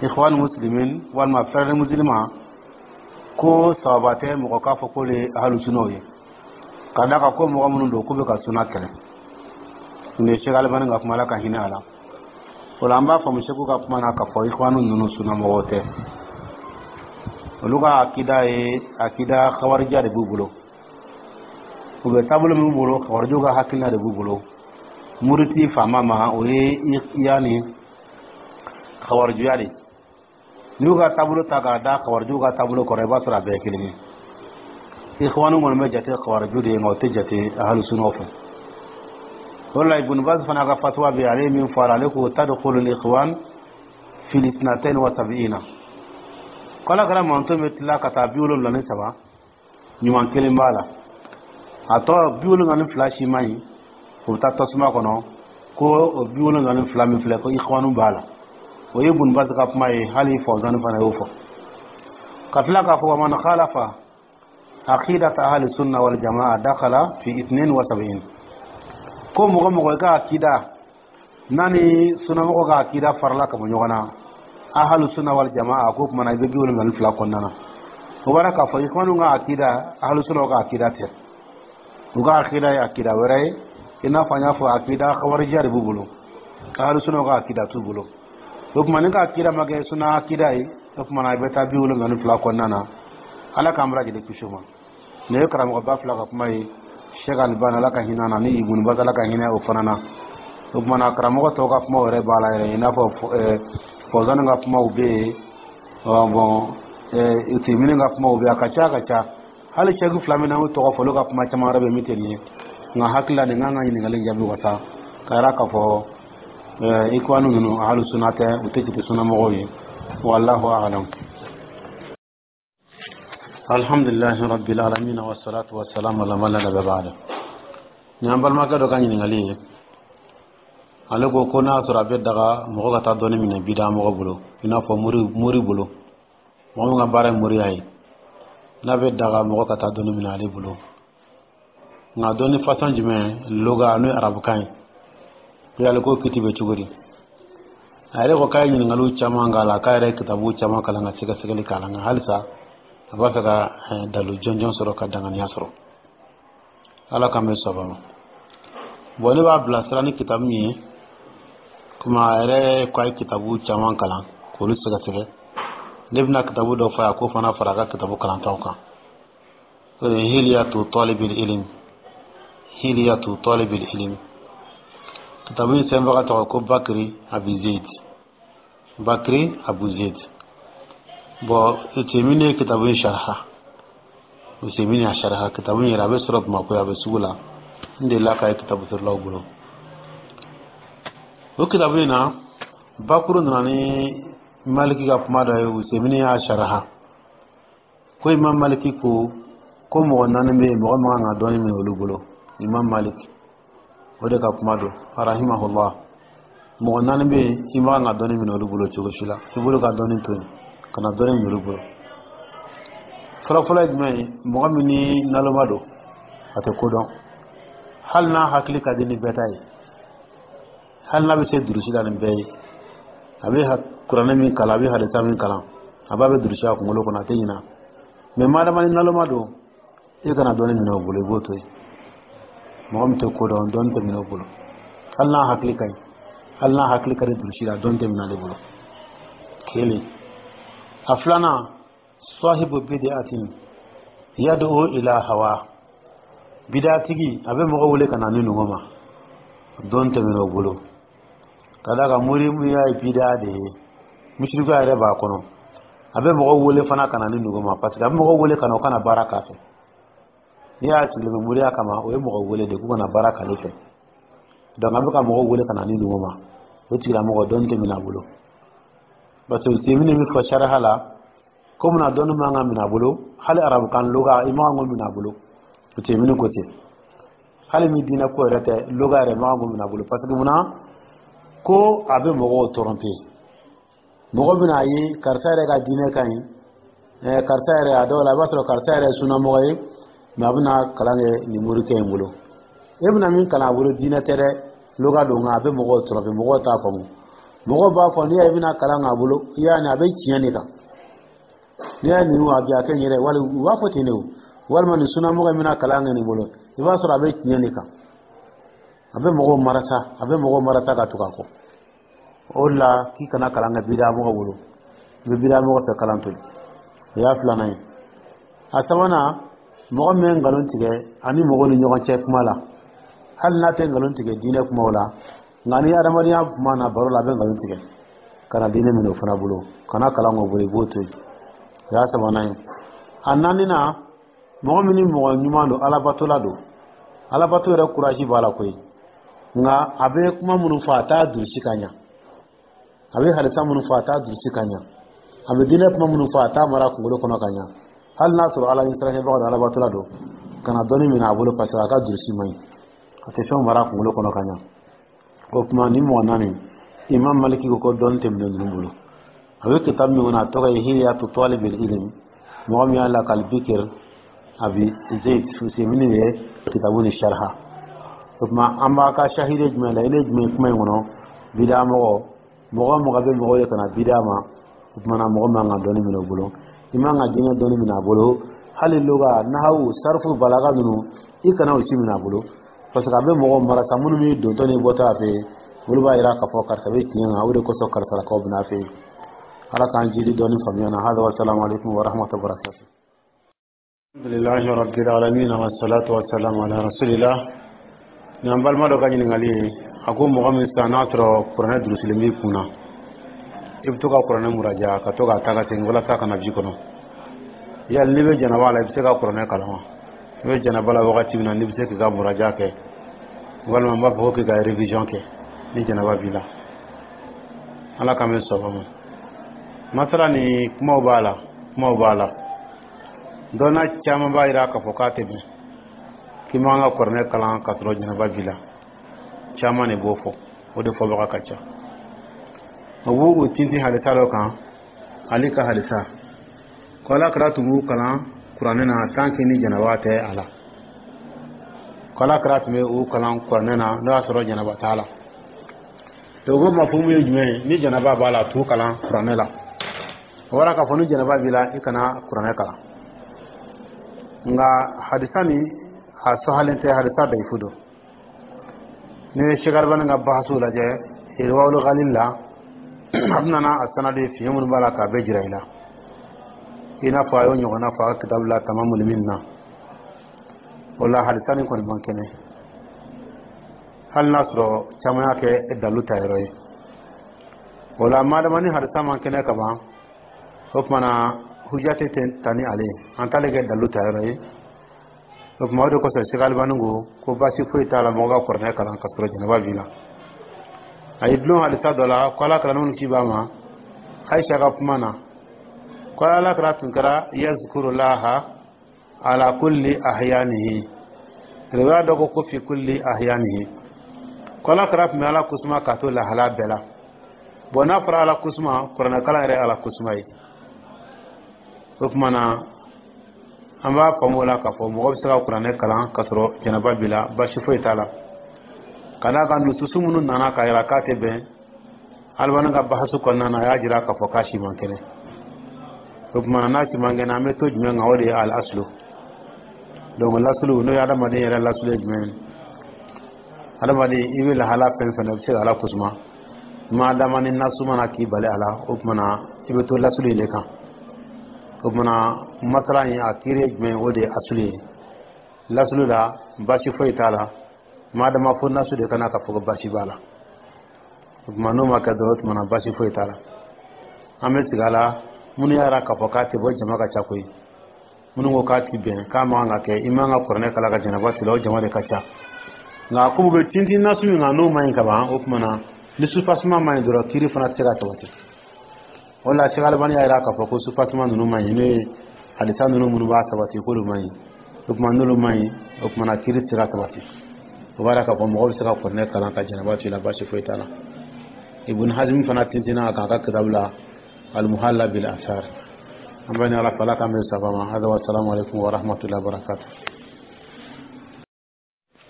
ikhwan muslimin walima frère musulman, ko sawaba tɛ mɔgɔ k'a fɔ k'olu ye ahlu sunnaw ye, ka d'a kan ko mɔgɔ minnu don, k'u bɛ ka sunna kɛlɛ. Nin ye Sɛki Alibani ka kuma, Ala ka hinɛ a la. O la, an b'a faamu Sɛku ka kuma na k'a fɔ ikhwanu ninnu sunamɔgɔw tɛ. Olu ka akida ye akida khawarija de b'u bolo. U bɛ taabolo min b'u bolo, khawarijiw ka hakilina de b'u bolo. Muriti faama ma, o ye yanni khawarijuya de. N'i y'u ka taabolo ta k'a da khawarijiw ka taabolo kɔrɔ, i b'a sɔrɔ a bɛɛ ye kelen ye. Ikhwanu kɔni bɛ jate khawariju de ye, nka o tɛ jate ahlu sunnaw fɛ. O la, Ibn Baz fana ka fatuwa bɛ yen, ale ye min fɔ a la, ale ko tadkhulu al-ikhwan fi al-72, ko Ala kɛra manton bɛ tila ka taa 73, ɲuman kelen b'a la, a tɔ 72 si man ɲi, o bɛ taa tasuma kɔnɔ. Ko o 72 min filɛ, ko ikhwanu b'a la. O ye Ibn Baz ka kuma ye, hali Fawzani fana y'o fɔ. Ka tila k'a fɔ wa man khalafa aqidata ahli sunna wal jamaa dakhala fi 72, ko mɔgɔ mɔgɔ i ka akida n'a ni sunnamɔgɔ ka akida farala ka bɔ ɲɔgɔn na, ahlu sunna wal jamaa, ko kumana i bɛ 72 kɔnɔna na. O b'a k'a fɔ ikhwanu ka akida, ahlu sunna ka akida tɛ. U ka akida ye akida wɛrɛ ye, i n'a fɔ an y'a fɔ, akida khawarija de b'u bolo, ahlu sunna ka akida t'u bolo. O tuma ni ka akida ma kɛ sunna akida ye, o tuma na i bɛ taa 72 kɔnɔna na. Ala k'an bɛɛ lajɛlen kisi o ma. Nin ye karamɔgɔba fila ka kuma ye, Sheikh Albani, Ala ka hinɛ na, ni Ibn Baz, Ala ka hinɛ o fana na. O tuma na, karamɔgɔ tɔw ka kumaw yɛrɛ b'a la yɛrɛ, i n'a fɔ Fawzani ka kumaw bɛ yen, bon, Utemini ka kumaw bɛ yen, a ka ca, a ka ca. Hali sɛki fila min na, y'o tɔgɔ fɔ, olu ka kuma caman wɛrɛ bɛ min tɛ nin ye. Nka hakili la, nin kan ka ɲininkali jaabi wasa ka yira k'a fɔ ikwanu ninnu ahlu sunna tɛ, u tɛ jate sunnamɔgɔw ye. Wallahu a'lam. Alhamdulillahi rabbil alamin, wassalatu wassalamu ala man la nabiyya ba'da. Ni an balimakɛ dɔ ka ɲininkali ye, ale ko ko n'a sɔrɔ a bɛ daga mɔgɔ ka taa dɔɔni minɛ bida mɔgɔ bolo, i n'a fɔ mori bolo, mɔgɔ min ka baara ye moriya ye, n'a bɛ daga mɔgɔ ka taa dɔɔni minɛ ale bolo, nka dɔɔni façon jumɛn, loga n'o ye arabukan ye, ko yali ko kiti bɛ cogo di? A yɛrɛ ko k'a ye ɲininkaliw caman k'a la, k'a yɛrɛ ye kitabu caman kalan ka sɛgɛsɛgɛli k'a la, nka halisa a b'a fɛ ka dalu jɔnjɔn sɔrɔ ka danganiya sɔrɔ. Ala k'an bɛ sɔn ma. Bon, ne b'a bilasira ni kitabu min ye, komi a yɛrɛ ko a ye kitabu caman kalan k'olu sɛgɛsɛgɛ, ne bɛna kitabu dɔ fɔ a ye, k'o fana fara a ka kitabu kalantaw kan. O de ye Hiliyatu Talibil Ilim. Hiliyatu Talibil Ilim, kitabu in sɛbɛnbaga tɔgɔ ko Bakiri Abi Zeid, Bakiri Abu Zeid. Bon, Utemini ye kitabu in sharha, Usemini y'a sharha. Kitabu in yɛrɛ, a bɛ sɔrɔ Bamakɔ, a bɛ sugu la, n delila k'a ye kitabu feerelaw bolo. O kitabu in na, bakuru nana ni Maliki ka kuma dɔ ye, Usemini y'a sharha, ko Imam Maliki ko ko mɔgɔ naani bɛ yen, mɔgɔ man kan ka dɔɔni minɛ olu bolo. Imam Maliki o de ka kuma don, rahimahullah, mɔgɔ naani bɛ yen, i man kan ka dɔɔni minɛ olu bolo cogo si la, i bolo ka dɔɔni to yen ka na dɔɔni minɛ olu bolo. Fɔlɔfɔlɔ ye jumɛn ye? Mɔgɔ min ni naloma don, a tɛ ko dɔn, hali n'a hakili ka di ni bɛɛ ta ye, hali n'a bɛ se durusi la ni bɛɛ ye. A bɛ kuranɛ min kalan, a bɛ hadisa min kalan, a b'a bɛ durusi a kunkolo kɔnɔ, a tɛ ɲina. Mais madama ni naloma don, i kana dɔnni minɛ o bolo, i b'o to yen. Mɔgɔ min tɛ ko dɔn, dɔnni tɛ minɛ o bolo. Hali n'a hakili ka ɲi, hali n'a hakili ka di durusi la, dɔnni tɛ minɛ ale bolo. Kelen. A filanan, sahibu bid'atin yad'u ila hawa. Bidatigi, a bɛ mɔgɔ wele ka na ni nungo ma, dɔn tɛ minɛ o bolo. Ka d'a kan mori y'a ye bida de ye, musirikuya yɛrɛ b'a kɔnɔ. A bɛ mɔgɔ wele fana ka na ni nungo ma, parce que a bɛ mɔgɔ wele ka na, o kana baara k'a fɛ. N'i y'a sigilen bɛ moriya kama, o ye mɔgɔ wele de k'u kana baara k'ale fɛ. Donc a bɛ ka mɔgɔ wele ka na ni nungo ma, o tigilamɔgɔ, dɔnni tɛ minɛ a bolo. Parce que Usemini min fɔ sariya la ko munna dɔnni man ka minɛ a bolo, hali arabukan loga, i man kan k'o minɛ a bolo. Usemini ko ten, hali min diinɛ ko yɛrɛ tɛ, loga yɛrɛ man kan k'o minɛ a bolo. Parce que munna? Ko a bɛ mɔgɔw tromper. Mɔgɔ bɛna a ye karisa yɛrɛ ka diinɛ ka ɲi, karisa yɛrɛ, a dɔw la i b'a sɔrɔ karisa yɛrɛ ye sunamɔgɔ ye, mais a bɛna kalan kɛ nin morikɛ in bolo. E bɛna min kalan a bolo, diinɛ tɛ dɛ, loga don. Nka a bɛ mɔgɔw tromper, mɔgɔw t'a faamu. Mɔgɔw b'a fɔ n'i y'a ye i bɛna kalan k'a bolo, i y'a ni a bɛ tiɲɛ de kan. N'i y'a nin a bi a kɛ n yɛrɛ wali, u b'a fɔ ten de o. Walima nin sunamɔgɔ in bɛna kalan kɛ nin bolo, i b'a sɔrɔ a bɛ tiɲɛ de kan. A bɛ mɔgɔw marasa, a bɛ mɔgɔw marasa ka tugu a kɔ. O de la k'i kana kalan kɛ bida mɔgɔ bolo, i bɛ bida mɔgɔ fɛ kalan to yen. O y'a filanan ye. A sabanan, mɔgɔ min bɛ nkalon tigɛ ani mɔgɔw ni ɲɔgɔn cɛ kuma la, hali n'a tɛ nkalon tigɛ diinɛ kumaw la, nka ni adamadenya kuma na, baro la, a bɛ nkalon tigɛ, kana diinɛ minɛ o fana bolo, kana kalan k'o bolo, i b'o to yen. O y'a sabanan ye. A naaninan, mɔgɔ min ni mɔgɔ ɲuman don, alabatola don, alabato yɛrɛ courage b'a la koyi, nka a bɛ kuma minnu fɔ, a t'a durusi ka ɲa. A bɛ hadisa minnu fɔ, a t'a durusi ka ɲa. A bɛ diinɛ kuma minnu fɔ, a t'a mara kunkolo kɔnɔ ka ɲa. Hali n'a sɔrɔ Ala ɲɛsiranɲɛbaga don, alabatola don, kana dɔnni minɛ a bolo, parce que a ka durusi man ɲi, a tɛ fɛnw mara kunkolo kɔnɔ ka ɲa. O tuma ni mɔgɔ naani, Imam Maliki ko ko dɔnni tɛ minɛ ninnu bolo. A bɛ kitabu min kɔnɔ, a tɔgɔ ye Hilyatu Talibil Ilm, mɔgɔ min y'a lakali, Bikir Abi Zayd Usemini ye kitabu ni sharha. O tuma an b'a ka shahide jumɛn la, ile jumɛn kuma in kɔnɔ? Bida mɔgɔ, mɔgɔ mɔgɔ bɛ mɔgɔ ye ka na bida ma, o tuma na mɔgɔ man ka dɔnni minɛ o bolo. I man ka diinɛ dɔnni minɛ a bolo, hali loga, nahawu, sarfu, balaga ninnu, i kana o si minɛ a bolo, parce que a bɛ mɔgɔw marasa. Minnu bɛ dontɔ ni bɔtɔ a fɛ yen, olu b'a yira k'a fɔ karisa bɛ tiɲɛ kan. O de kosɔn karisalakaw bɛ n'a fɛ yen. Ala k'an jidi dɔɔni faamuya na. Hada wa salamu alaikum wa rahmatullahi wa barakatuh. Alhamdulillahi rabbil alamin, wa salatu wa salam ala rasulillah. Ni an balima dɔ ka ɲininkali ye, a ko mɔgɔ min sisan n'a sɔrɔ kuranɛ durusilen b'i kun na, i bɛ to ka kuranɛ muraja, ka to k'a ta ka segin walasa ka na ji kɔnɔ, yali n'i bɛ janaba la, i bɛ se ka kuranɛ kalan wa? I bɛ janaba la wagati min na, n'i bɛ se k'i ka muraja kɛ, walima n b'a fɔ ko k'i ka révision kɛ ni janaba b'i la? Ala k'an bɛ sɔn ma. Masala ni kumaw b'a la, kumaw b'a la. Dɔnna caman b'a jira k'a fɔ k'a tɛ bɛn k'i man ka kuranɛ kalan k'a sɔrɔ janaba b'i la. Caman de b'o fɔ, o de fɔbaga ka ca. O b'u tintin hadisa dɔ kan, Ali ka hadisa ko Ala kɛra tun b'u kalan kuranɛ na tant que ni janaba tɛ a la, ko Ala kɛra tun bɛ u kalan kuranɛ na n'o y'a sɔrɔ janaba t'a la. Donc o mafumu ye jumɛn ye? Ni janaba b'a la, t'u kalan kuranɛ la. O bɔra k'a fɔ ni janaba b'i la, i kana kuranɛ kalan. Nka hadisa ni a sɔhalen tɛ, hadisa dayifu don. Ni ye Sheikh Albani ka bahasu lajɛ Irwaul Ghalil la, a bɛna a sanadi fiɲɛ minnu b'a la k'a bɛɛ jira i la, i n'a fɔ a y'o ɲɔgɔnna fɔ a ka kitabu la Tamamul Minna. O la hadisa nin kɔni man kɛnɛ, hali n'a sɔrɔ caman y'a kɛ dalu ta yɔrɔ ye. O la madama ni hadisa man kɛnɛ ka ban, o tuma na hujja tɛ ta ni ale ye, an t'ale kɛ dalu ta yɔrɔ ye. O tuma o de kosɔn Sheikh Albani ko ko baasi foyi t'a la mɔgɔ ka kuranɛ kalan ka sɔrɔ janaba b'i la. A ye dulon hadisa dɔ la ko Ala kɛra minnu ci b'a ma, Aisha ka kuma na, ko Ala kɛra tun kɛra yazkurulaha ala kulli ahyanihi. Riwaya dɔ ko ko fi kulli ahyanihi, ko Ala kɛra tun bɛ Ala kusuma k'a to lahala bɛɛ la. Bon, n'a fɔra Ala kusuma, kuranɛ kalan yɛrɛ Ala kusuma ye. O tuma na an b'a faamu o la k'a fɔ mɔgɔ bɛ se ka kuranɛ kalan k'a sɔrɔ janaba b'i la, baasi foyi t'a la. Ka d'a kan nususu minnu nana k'a yira k'a tɛ bɛn, Alibani ka bahasu kɔnɔna na, a y'a jira k'a fɔ k'a si man kɛnɛ. O tuma na, n'a si man kɛnɛ, an bɛ to jumɛn kan? O de ye al aslu. Donc lasulu, n'o ye adamaden yɛrɛ lasulu ye jumɛn ye? Adamaden, i bɛ lahala fɛn fɛn na, i bɛ se ka Ala kosuma ma dama ni nasu mana k'i bali a la. O tuma na, i bɛ to lasulu in de kan. O tuma na, masala in a kiiri ye jumɛn ye? O de ye asulu ye. Lasulu la, baasi foyi t'a la ma dama fo nasu de kana ka fɔ ko baasi b'a la. O tuma, n'o ma kɛ dɔrɔn, o tuma na baasi foyi t'a la. An bɛ sigi a la. Minnu y'a yira k'a fɔ k'a tɛ bɔ, jama ka ca koyi. Minnu ko k'a ti bɛn, k'a man kan ka kɛ, i man ka kuranɛ kalan ka janaba t'i la, o jama de ka ca. Nka ko bɛ tintin nasu min kan, n'o man ɲi ka ban, o tuma na ni soubassement man ɲi dɔrɔn, kiiri fana tɛ se ka sabati. O la, Sɛki Alibani y'a yira k'a fɔ ko soubassement ninnu man ɲi, n'o ye hadisa ninnu minnu b'a sabati, k'olu man ɲi. O tuma, n'olu man ɲi, o tuma na kiiri tɛ se ka sabati. O b'a yira k'a fɔ mɔgɔ bɛ se ka kuranɛ kalan ka janaba to i la, baasi foyi t'a la. Ibn Hazm fana tintinna a kan a ka kitabu la, Al-Muhalla bil Athar. An bɛ ni Ala fɛ, Ala k'an bɛn saba ma. Hada wa salamu alaikum wa rahmatullahi wa barakatuh.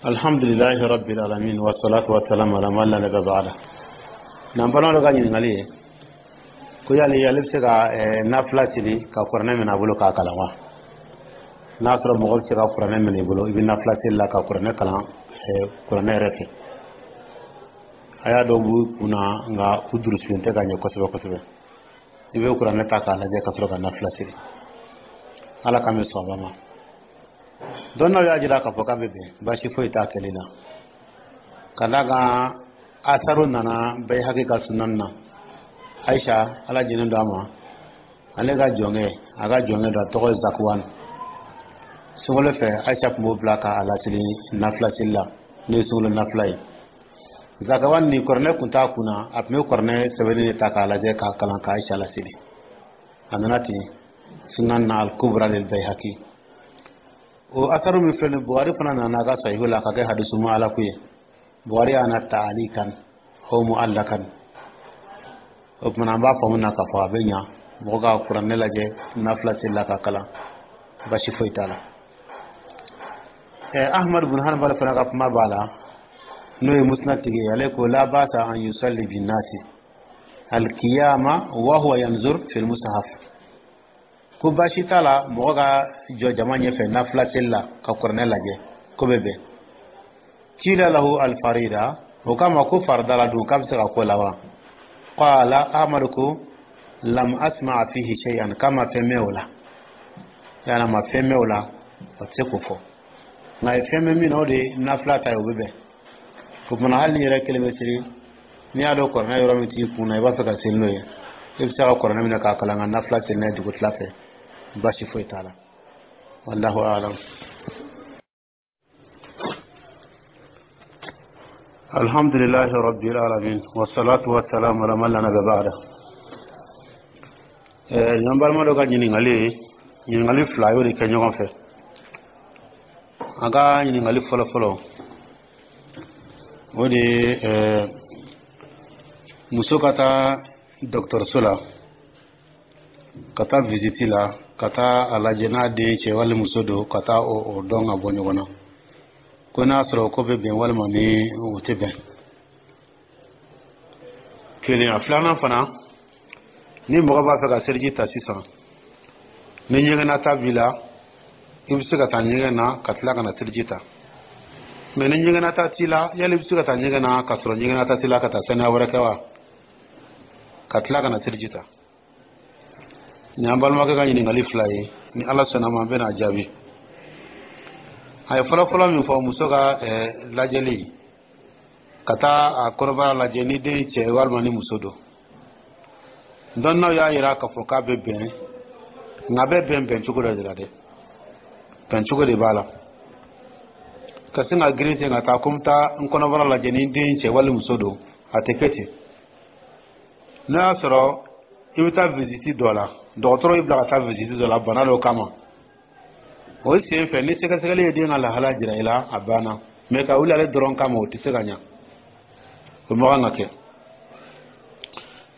Alhamdulillahi rabbil alamin, wa salatu wa salam ala man la nabiyya ba'da. N'an balima dɔ ka ɲininkali ye ko yali ale bɛ se ka nafila seli ka kuranɛ minɛ a bolo k'a kalan wa? N'a sɔrɔ mɔgɔ bɛ se ka kuranɛ minɛ i bolo, i bɛ nafila seli la ka kuranɛ kalan kuranɛ yɛrɛ fɛ. A y'a dɔw b'u kunna, nka u durusilen tɛ ka ɲɛ kosɛbɛ kosɛbɛ. I bɛ kuranɛ ta k'a lajɛ ka sɔrɔ ka nafila seli. Ala k'an bɛ sɔn ma. Dɔnnaw y'a jira k'a fɔ k'a bɛ bɛn, baasi foyi t'a kɛli la, ka d'a kan asaru nana Bayhaqi ka sunan na. Aisha, Ala jɛnen don a ma, ale ka jɔnkɛ, a ka jɔnkɛ dɔ, a tɔgɔ ye Zakuwan, sunkalo fɛ, Aisha tun b'o bila k'a laseli nafila seli la, n'o ye sunkalo nafila ye. Zakawan ni kuranɛ kun t'a kunna, a tun bɛ kuranɛ sɛbɛnni de ta k'a lajɛ k'a kalan ka Aisha laseli. A nana ten sunan na, Al-Kubra lil Bayhaqi. O asaru min filɛ nin, Buhari fana nana a ka sahihu la ka kɛ hadisu mu'alaku ye. Buhari y'a na ta'alikan aw mu'allakan. O tuma na, an b'a faamu na k'a fɔ a bɛ ɲa mɔgɔ ka kuranɛ lajɛ nafila seli la ka kalan, basi foyi t'a la. Ahmad bin Hanbal fana ka kuma b'a la, n'o ye musnad tigi ye. Ale ko la basa an yusalli bin nasi alkiyama wa huwa yanzur fil mushaf, ko baasi t'a la mɔgɔ ka jɔ jama ɲɛfɛ nafila seli la ka kuranɛ lajɛ, ko bɛ bɛn. Kila lahu alfarida, o kama ko farida la dun, k'a bɛ se ka ko la wa? Qala, Ahmad ko lam asma fihi shay'an, k'a ma fɛn mɛn o la, yala ma fɛn mɛn o la, o tɛ se k'o fɔ. Nka a ye fɛn mɛn min na, o de ye nafila ta ye, o bɛ bɛn. O kumana, hali ni yɛrɛ kelen bɛ seli, n'i y'a dɔn kuranɛ yɔrɔ min t'i kun na, i b'a fɛ ka seli n'o ye, i bɛ se ka kuranɛ minɛ k'a kalan ka nafila seli n'a ye dugutila fɛ, baasi foyi t'a la. Wallahu a'lam. Alhamdulillahi rabbil alamin, wassalatu wassalamu ala man la nabiyya ba'da. Ɲan balima dɔ ka ɲininkali ye ɲininkali fila, y'o de kɛ ɲɔgɔn fɛ. A ka ɲininkali fɔlɔ fɔlɔ, o de ye muso ka taa dɔgɔtɔrɔso la, ka taa visite la, ka taa a lajɛ n'a den cɛ wali muso don, ka taa o dɔn ka bɔ ɲɔgɔn na, ko n'a sɔrɔ ko bɛ bɛn walima ni o tɛ bɛn. Kelen. A filanan fana, ni mɔgɔ b'a fɛ ka seliji ta sisan, ni ɲɛgɛnnata b'i la, i bɛ se ka taa ɲɛgɛn na ka tila ka na seliji ta. Mɛ ni ɲɛgɛnnata t'i la, yali i bɛ se ka taa ɲɛgɛn na ka sɔrɔ ɲɛgɛnnata t'i la, ka taa saniya wɛrɛ kɛ wa, ka tila ka na seliji ta? Nin y'an balimakɛ ka ɲininkali fila ye. Ni Ala sɔnna ma, an bɛna jaabi. A ye fɔlɔfɔlɔ min fɔ, muso ka lajɛli, ka taa a kɔnɔbara lajɛ ni den cɛ walima ni muso don, dɔnnaw y'a yira k'a fɔ k'a bɛ bɛn, nka a bɛ bɛn bɛn cogo dɔ de la dɛ, bɛn cogo de b'a la. Ka sin ka girin ten ka taa ko n taa n kɔnɔbara lajɛ ni den cɛ wali muso don, a tɛ kɛ ten. N'a y'a sɔrɔ i bɛ taa visite dɔ la, dɔgɔtɔrɔ y'i bila ka taa visite dɔ la bana dɔ kama, o sen fɛ ni sɛgɛsɛgɛli ye den ka lahala jira i la, a banna. Mɛ ka wuli ale dɔrɔn kama, o tɛ se ka ɲa, o ma kan ka kɛ.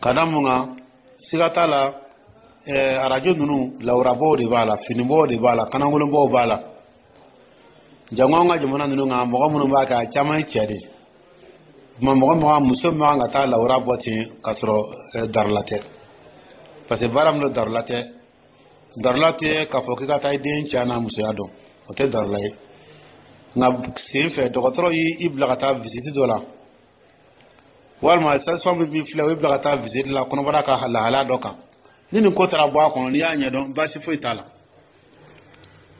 Ka da mun kan? Siga t'a la, arajo ninnu, lawurabɔw de b'a la, finibɔw de b'a la, kanangolonbɔw b'a la. Jango an ka jamana ninnu kan, mɔgɔ minnu b'a kɛ, a caman ye cɛ de ye. Tuma mɔgɔ mɔgɔ muso man kan ka taa lawura bɔ ten k'a sɔrɔ darula tɛ, parce que baara min don, darula tɛ. Darula tɛ k'a fɔ k'i ka taa i den cɛ n'a musoya dɔn, o tɛ darula ye. Nka sen fɛ, dɔgɔtɔrɔ y'i bila ka taa visite dɔ la, walima sage-femme b'i filɛ, o y'i bila ka taa visite la kɔnɔbara ka lahalaya dɔ kan, ni nin ko taara bɔ a kɔnɔ, n'i y'a ɲɛdɔn, baasi foyi t'a la.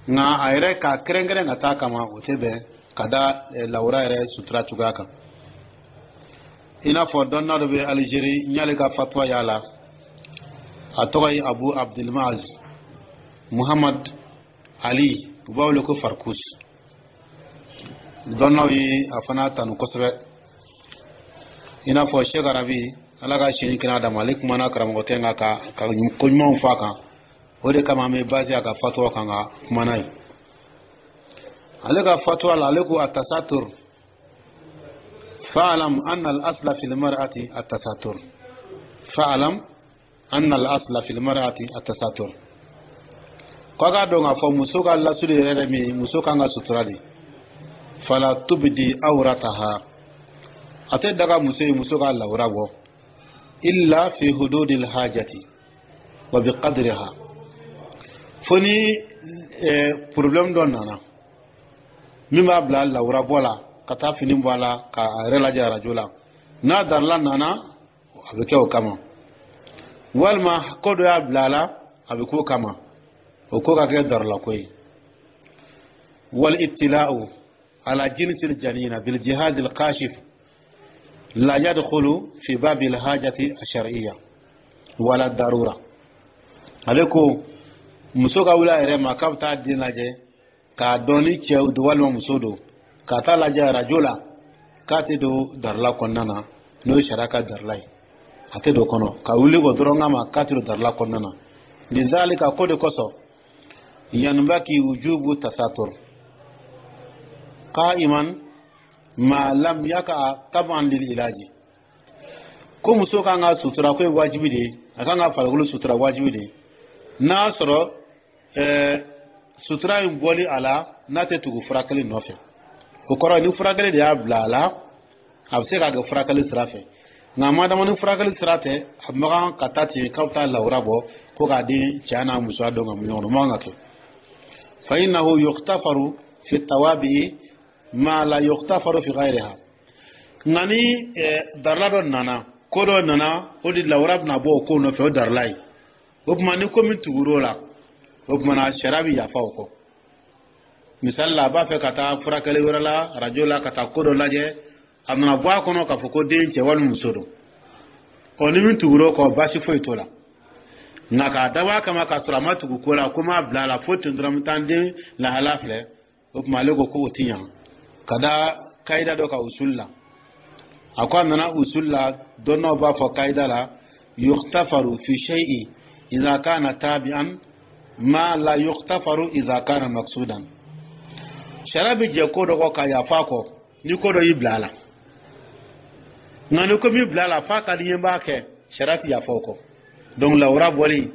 Nka a yɛrɛ k'a kɛrɛnkɛrɛn ka taa kama, o tɛ bɛn ka da lawura yɛrɛ sutura cogoya kan. I n'a fɔ dɔnna dɔ bɛ Alizeri, n y'ale ka fatuwa y'a la, a tɔgɔ ye Abu Abdulmaz Muhammad Ali, u b'a wele ko Farkus. Dɔnnaw ye a fana tanu kosɛbɛ, i n'a fɔ Sheikh Arabi, Ala ka sini kɛnɛya d'a ma, ale kumana karamɔgɔkɛ kan ka ko ɲumanw fɔ a kan. O de kama an bɛ base a ka fatuwa kan ka kuma n'a ye. Ale ka fatuwa la, ale ko: التستر، فاعلم أن الأصل في المرأة التستر، فاعلم أن الأصل في المرأة التستر. Ko a k'a dɔn k'a fɔ muso ka lasuli yɛrɛ yɛrɛ min, muso kan ka sutura de. فلا تبدي عورتها, a tɛ daga muso ye muso ka lawura bɔ, إلا في حدود الحاجة وبقدرها, fo ni problème dɔ nana min b'a bila lawura bɔ la, ka taa fini bɔ a la k'a yɛrɛ lajɛ arajo la. N'a darila nana, a bɛ kɛ o kama, walima ko dɔ y'a bila a la, a bɛ k'o kama, o ko ka kɛ darila ko ye. والاطلاع على جنس الجنين بالجهاز الكاشف لا يدخل في باب الحاجة الشرعية ولا الضرورة. Ale ko muso ka wuli a yɛrɛ ma k'a bɛ taa den lajɛ k'a dɔn ni cɛ don walima muso don, ka taa lajɛ arajo la, k'a tɛ don darila kɔnɔna na, n'o ye sariya ka darila ye. A tɛ don kɔnɔ ka wuli o dɔrɔn kama, k'a tɛ don darila kɔnɔna na. لذلك, ko de kosɔn, ينبغي وجوب التستر قائما ما لم يقع تبعا للعلاج. Ko muso kan ka sutura, ko ye wajibi de ye, a kan ka farikolo sutura, wajibi de ye, n'a sɔrɔ sutura in bɔli a la, n'a tɛ tugu furakɛli nɔfɛ. O kɔrɔ, ni furakɛli de y'a bila a la, a bɛ se k'a kɛ furakɛli sira fɛ. Nka madama ni furakɛli sira tɛ, a man kan ka taa ten k'a bɛ taa lawura bɔ ko k'a di cɛ n'a musoya dɔn ka mun ɲɔgɔn na, o man kan ka kɛ. فإنه يغتفر في التوابع ما لا يغتفر في غيرها. Nka ni darila dɔ nana, ko dɔ nana, o de lawura bɛna bɔ o ko nɔfɛ, o darila ye. O tuma ni ko min tugur'o la, o tuma na sariya bɛ yafa o kɔ. Misali la, a b'a fɛ ka taa furakɛli wɛrɛ la, arajo la, ka taa ko dɔ lajɛ, a nana bɔ a kɔnɔ k'a fɔ ko den cɛ walima muso don. Ɔ, ni min tugur'o kɔ, baasi foyi t'o la. Nka k'a dabɔ a kama k'a sɔrɔ a ma tugu ko la, ko m'a bila a la fo ten dɔrɔn, n bɛ taa n den lahala filɛ, o tuma ale ko k'o ti ɲa ka da kayida dɔ kan usul la. A ko a nana usul la, dɔnnaw b'a fɔ kayida la: يغتفر في الشيء إذا كان تابعا ما لا يغتفر إذا كان مقصودا. Sariya bɛ jɛ ko dɔ kɔ ka yafa kɔ ni ko dɔ y'i bila a la. Nka ni ko min bila a la f'a ka di n ye, n b'a kɛ, sariya tɛ yafa o kɔ. Donc lawura bɔli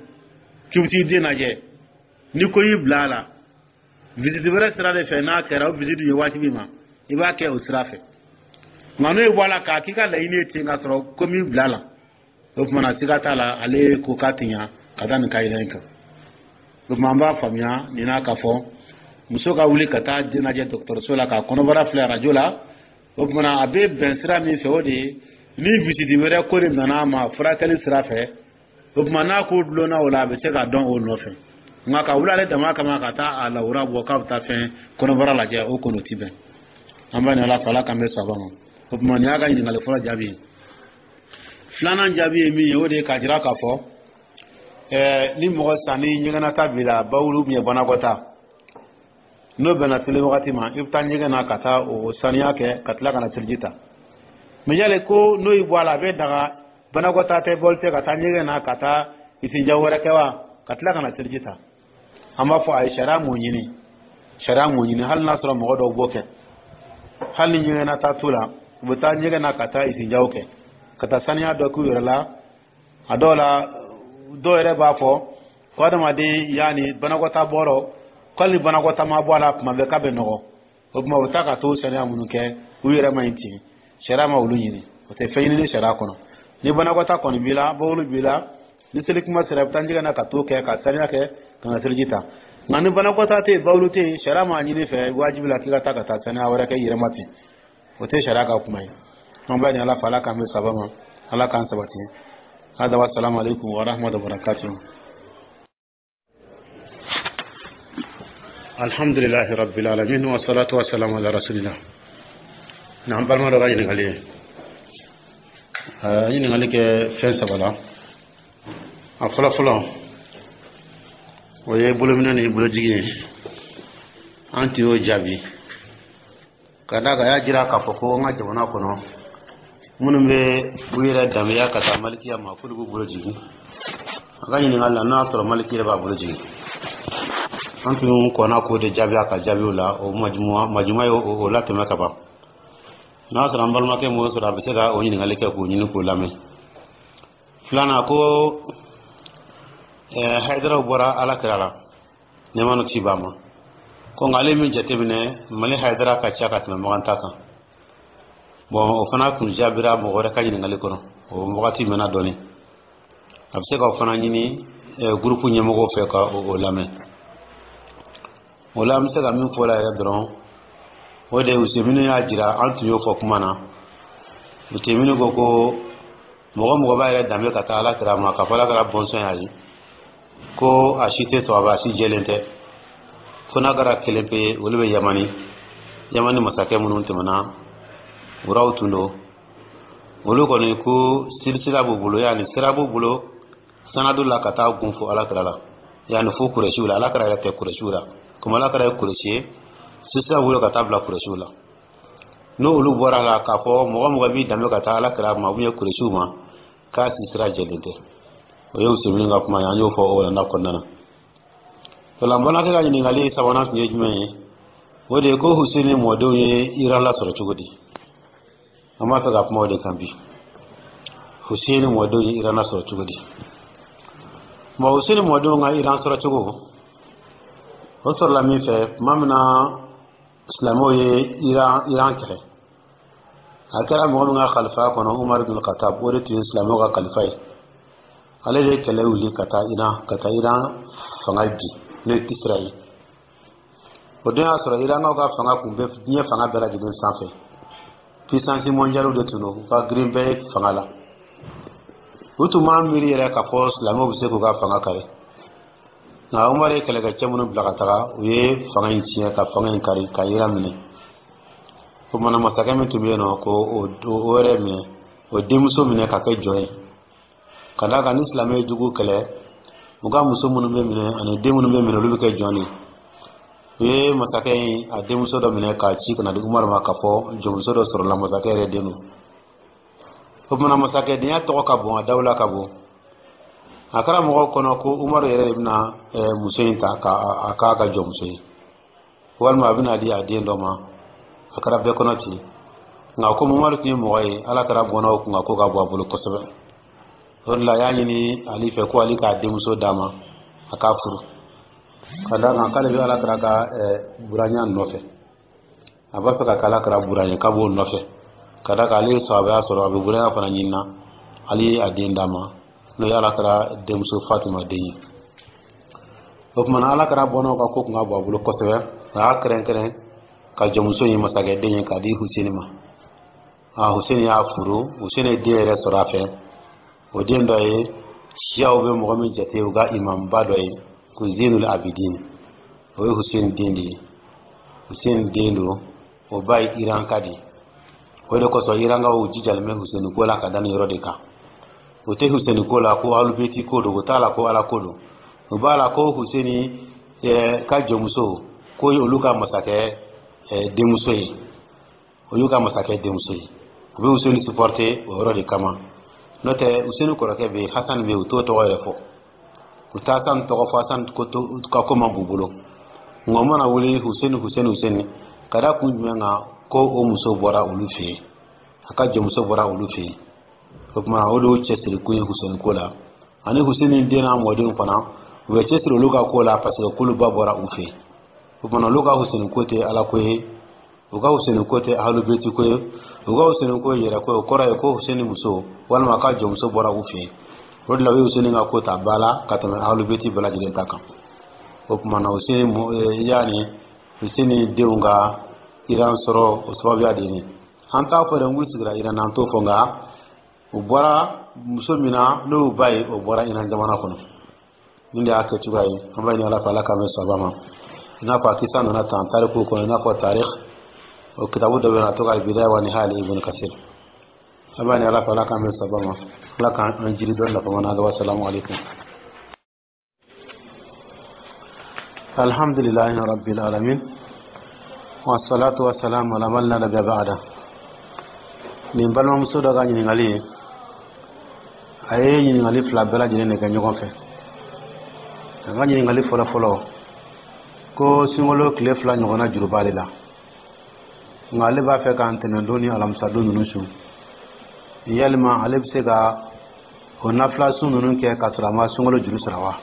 k'i bɛ t'i den lajɛ, ni ko y'i bila a la visite wɛrɛ sira de fɛ, n'a kɛra o visite ye wajibi ma, i b'a kɛ o sira fɛ. Nka n'o ye bɔ a la k'a k'i ka laɲini ye ten k'a sɔrɔ ko min bila a la, o tuma na siga t'a la, ale ko k'a tɛ ɲa ka da nin kayida in kan. O tuma an b'a faamuya nin n'a ka fɔ muso ka wuli ka taa den lajɛ dɔgɔtɔrɔso la k'a kɔnɔbara filɛ arajo la, o tuma na a bɛ bɛn sira min fɛ, o de ye ni visite wɛrɛ ko de nana a ma furakɛli sira fɛ. O tuma n'a ko dulonna o la, a bɛ se ka dɔn o nɔfɛ. Nka ka wuli ale dama kama ka taa a lawura bɔ k'a bɛ taa fɛn kɔnɔbara lajɛ, o kɔni o ti bɛn. An b'a ɲini Ala fɛ, Ala k'an bɛ sababa ma. O tuma nin y'a ka ɲininkali fɔlɔ jaabi ye. Filanan jaabi ye min ye, o de ye k'a jira k'a fɔ ni mɔgɔ san ni ɲɛgɛnnata b'i la, bawulu bɛ banakɔta, n'o bɛnna seli wagati ma, i bɛ taa ɲɛgɛn na ka taa o saniya kɛ ka tila ka na seliji ta. Mɛ yali ko n'o y'i bɔ a la, a bɛ daga banakɔta tɛ, bɔli tɛ, ka taa ɲɛgɛn na ka taa isinja wɛrɛ kɛ wa, ka tila ka na seliji ta? An b'a fɔ a ye, sariya m'o ɲini, sariya m'o ɲini. Hali n'a sɔrɔ mɔgɔ dɔw b'o kɛ, hali ni ɲɛgɛnnata t'u la, u bɛ taa ɲɛgɛn na ka taa isinjaw kɛ, ka taa saniya dɔ k'u yɛrɛ la. A dɔw la, dɔw yɛrɛ b'a fɔ ko adamaden yaani banakɔta bɔrɔ, ko hali ni banakɔta ma bɔ a la, tuma bɛɛ k'a bɛ nɔgɔ. O tuma u bɛ taa ka t'o saniya minnu kɛ u yɛrɛ ma ɲi ten. Sariya ma olu ɲini, o tɛ fɛn ɲini sariya kɔnɔ. Ni banakɔta kɔni b'i la, bawulu b'i la, ni seli kuma sera, i bɛ taa ɲɛgɛn na ka t'o kɛ ka saniya kɛ ka na seliji ta. Nka ni banakɔta tɛ yen, bawulu tɛ yen, sariya m'a ɲini fɛ wajibi la k'i ka taa ka taa saniya wɛrɛ kɛ i yɛrɛ ma ten. O tɛ sariya ka kuma ye. An b'a ɲini Ala fɛ, Ala k'an bɛ saba ma, Ala k'an sabati. Hada wa salamu alaikum wa rahmatullahi wa barakatuh. Alhamdulilahi rabbil alamin, wa salatu wa salamu ala rasulillah. N'an balima dɔ ka ɲininkali ye, a ye ɲininkali kɛ fɛn saba la. A fɔlɔ fɔlɔ, o ye bolominɛ ni bolojigi ye. An tun y'o jaabi ka d'a kan, a y'a jira k'a fɔ ko an ka jamana kɔnɔ, minnu bɛ u yɛrɛ danbeya ka taa malikiya ma, k'olu b'u bolo jigin. A ka ɲininkali la, n'a y'a sɔrɔ maliki yɛrɛ b'a bolo jigin, an tun kɔnna k'o de jaabi a ka jaabiw la. O majuma ye o latɛmɛ ka ban. N'a sɔrɔ an balimakɛ m'o sɔrɔ, a bɛ se ka o ɲininkali kɛ k'o ɲini k'o lamɛn. Filanan ko Hayidaraw bɔra Ala kira la, nɛɛma ni kisi b'a ma, ko nka ale min jateminɛ, Mali Hayidara ka ca ka tɛmɛ Makan ta kan. Bɔn, o fana kun jaabira mɔgɔ wɛrɛ ka ɲininkali kɔnɔ, o wagati mɛnna dɔɔni. A bɛ se ka o fana ɲini gurupu ɲɛmɔgɔw fɛ ka o lamɛn. O la, an bɛ se ka min fɔ la yɛrɛ dɔrɔn, o de ye Usemini y'a jira, an tun y'o fɔ kuma na. Usemini ko ko mɔgɔ mɔgɔ b'a yɛrɛ danbe ka taa Ala kira ma, k'a fɔ Ala kɛra bɔnsɔn y'a ye, ko a si tɛ sɔrɔ, a si jɛlen tɛ, fo n'a kɛra kelen pe ye. Olu bɛ Yamani, Yamani masakɛ minnu tɛmɛna, wuraw tun don. Olu kɔni ko silisila b'u bolo, yanni sira b'u bolo sanadu la ka taa gun fo Ala kira la, yanni fo Kurɛsiw la. Ala kira yɛrɛ tɛ Kurɛsiw la, komi Ala kira ye Kurɛsi ye, silisila b'u bolo ka taa bila Kurɛsiw la. N'olu bɔra la, k'a fɔ mɔgɔ mɔgɔ b'i danbe ka taa Ala kira ma ou bien Kurɛsiw ma, k'a si sira jɛlen tɛ, o ye Usemini ka kuma ye. An y'o fɔ o walanda kɔnɔna na. O la, n balimakɛ ka ɲininkali sabanan tun ye jumɛn ye? O de ye ko Huseni mɔdenw ye Iran lasɔrɔ cogo di? An b'a fɛ ka kuma o de kan bi. Huseni mɔdenw ye Iran lasɔrɔ cogo di? Bon, Huseni mɔdenw ka Iran sɔrɔ cogo, o sɔrɔla min fɛ, tuma min na silamɛw ye Iran kɛlɛ, a kɛra mɔgɔ min ka kalifa kɔnɔ, Umar bin Khattab, o de tun ye silamɛw ka kalifa ye. Ale de ye kɛlɛ wuli ka taa Iran, ka taa Iran fanga bin, n'o ye Kisira ye. O don y'a sɔrɔ Irankaw ka fanga kun bɛ diɲɛ fanga bɛɛ lajɛlen sanfɛ. Puissance mondiale de tun don, u ka girin bɛɛ fanga la. U tun b'a miiri yɛrɛ k'a fɔ silamɛw bɛ se k'u ka fanga kari. Nka Umar ye kɛlɛkɛcɛ minnu bila ka taga, u ye fanga in tiɲɛ, ka fanga in kari, ka Iran minɛ. O kumana, masakɛ min tun bɛ yen nɔ, ko o yɛrɛ minɛ, o denmuso minɛ ka kɛ jɔn ye, ka d'a kan ni silamɛ ye jugu kɛlɛ, u ka muso minnu bɛ minɛ ani den minnu bɛ minɛ, olu bɛ kɛ jɔn de ye. U ye masakɛ in a denmuso dɔ minɛ k'a ci ka na di Umaru ma, k'a fɔ jɔnmuso dɔ sɔrɔla, masakɛ yɛrɛ den don. O kumana, masakɛdenya tɔgɔ ka bon, a dawula ka bon. A kɛra mɔgɔw kɔnɔ ko Umaru yɛrɛ de bɛna muso in ta k'a k'a ka jɔnmuso ye, walima a bɛna di a den dɔ ma. A kɛra bɛɛ kɔnɔ ten. Nka komi Umaru tun ye mɔgɔ ye, Ala kɛra bɔnnaw kun ka ko ka bɔ a bolo kosɛbɛ, o de la a y'a ɲini Ali fɛ ko Ali k'a denmuso d'a ma, a k'a furu, ka d'a kan k'ale bɛ Ala kɛra ka buranya nɔfɛ, a b'a fɛ ka kɛ Ala kɛra buran ye, k'a b'o nɔfɛ, ka d'a kan ale ye sababuya sɔrɔ, a bɛ buranya fana ɲini na. Ali ye a den d'a ma, n'o ye Ala kɛra denmuso Fatima den ye. O tuma na, Ala kɛra bɔnnaw ka ko kun ka bɔ a bolo kosɛbɛ. A y'a kɛrɛnkɛrɛn ka jɔnmuso ye, masakɛ den ye, k'a di Huseni ma. A Huseni y'a furu. Huseni ye den yɛrɛ sɔrɔ a fɛ. O den dɔ ye siyaw bɛ mɔgɔ min jate u ka imamba dɔ ye, ko Zenul Abidin, o ye Huseni den de ye. Huseni den don, o ba ye Iranka de ye. O de kosɔn Irankaw jijalen bɛ Huseni ko la ka da nin yɔrɔ de kan. O tɛ Huseni ko la ko alubeti ko don, o t'a la ko Ala ko don, o b'a la ko Huseni ka jɔnmuso ko ye olu ka masakɛ denmuso ye, o y'u ka masakɛ denmuso ye. U bɛ Huseni supporter o yɔrɔ de kama. N'o tɛ, Huseni kɔrɔkɛ bɛ yen, Hasan bɛ yen, u t'o tɔgɔ yɛrɛ fɔ, u tɛ Hasan tɔgɔ fɔ. Hasan ka ko man b'u bolo. Nka u mana wuli, Huseni, Huseni, Huseni, ka da kun jumɛn kan? Ko o muso bɔra olu fɛ yen, a ka jɔnmuso bɔra olu fɛ yen. O tuma, o de y'u cɛsiri kun ye Huseni ko la. Ani Huseni den n'a mɔdenw fana, u bɛ cɛsiri olu ka ko la, parce que k'olu ba bɔra u fɛ yen. O tuma, olu ka Huseni ko tɛ Ala ko ye, u ka Huseni ko tɛ ahlubeti ko ye. U ka Huseni ko yɛrɛ ko, o kɔrɔ ye ko Huseni muso walima a ka jɔnmuso bɔra u fɛ yen. O de la u ye Huseni ka ko ta ba la ka tɛmɛ Ahlubeti bɛɛ lajɛlen ta kan. O tuma na Huseni, yaani Huseni denw ka Iran sɔrɔ, o sababuya de ye. An t'a fɔ dɛ n k'u sigira Iran na, an t'o fɔ, nka u bɔra muso min na n'o y'u ba ye, o bɔra Iran jamana kɔnɔ. Nin de y'a kɛ cogoya ye. An b'a ɲini Ala fɛ, Ala k'an bɛn sababa ma. I n'a fɔ a kisa nana tan tarikuw kɔnɔ, i n'a fɔ tarikh o kitabu dɔ bɛ yen, a tɔgɔ Al-Bidaya wa Nihaya Ibn Kasir. An b'a ɲini Ala fɛ, Ala k'an bɛn sababa ma, Ala k'an jiri dɔn nafama na. Wasalamu alaikum. Alhamdulillahi rabbil alamin, wassalatu wassalamu ala man la nabiyya ba'da. Nin balimamuso dɔ ka ɲininkali ye, a ye ɲininkali fila bɛɛ lajɛlen de kɛ ɲɔgɔn fɛ. A ka ɲininkali fɔlɔ fɔlɔ ko sunkalo tile 2 ɲɔgɔnna juru b'ale la, nka ale b'a fɛ ka ntɛnɛndon ni alamisadon ninnu sun. Yalima ale bɛ se ka o nafila sun ninnu kɛ k'a sɔrɔ a ma sunkalo juru sara wa?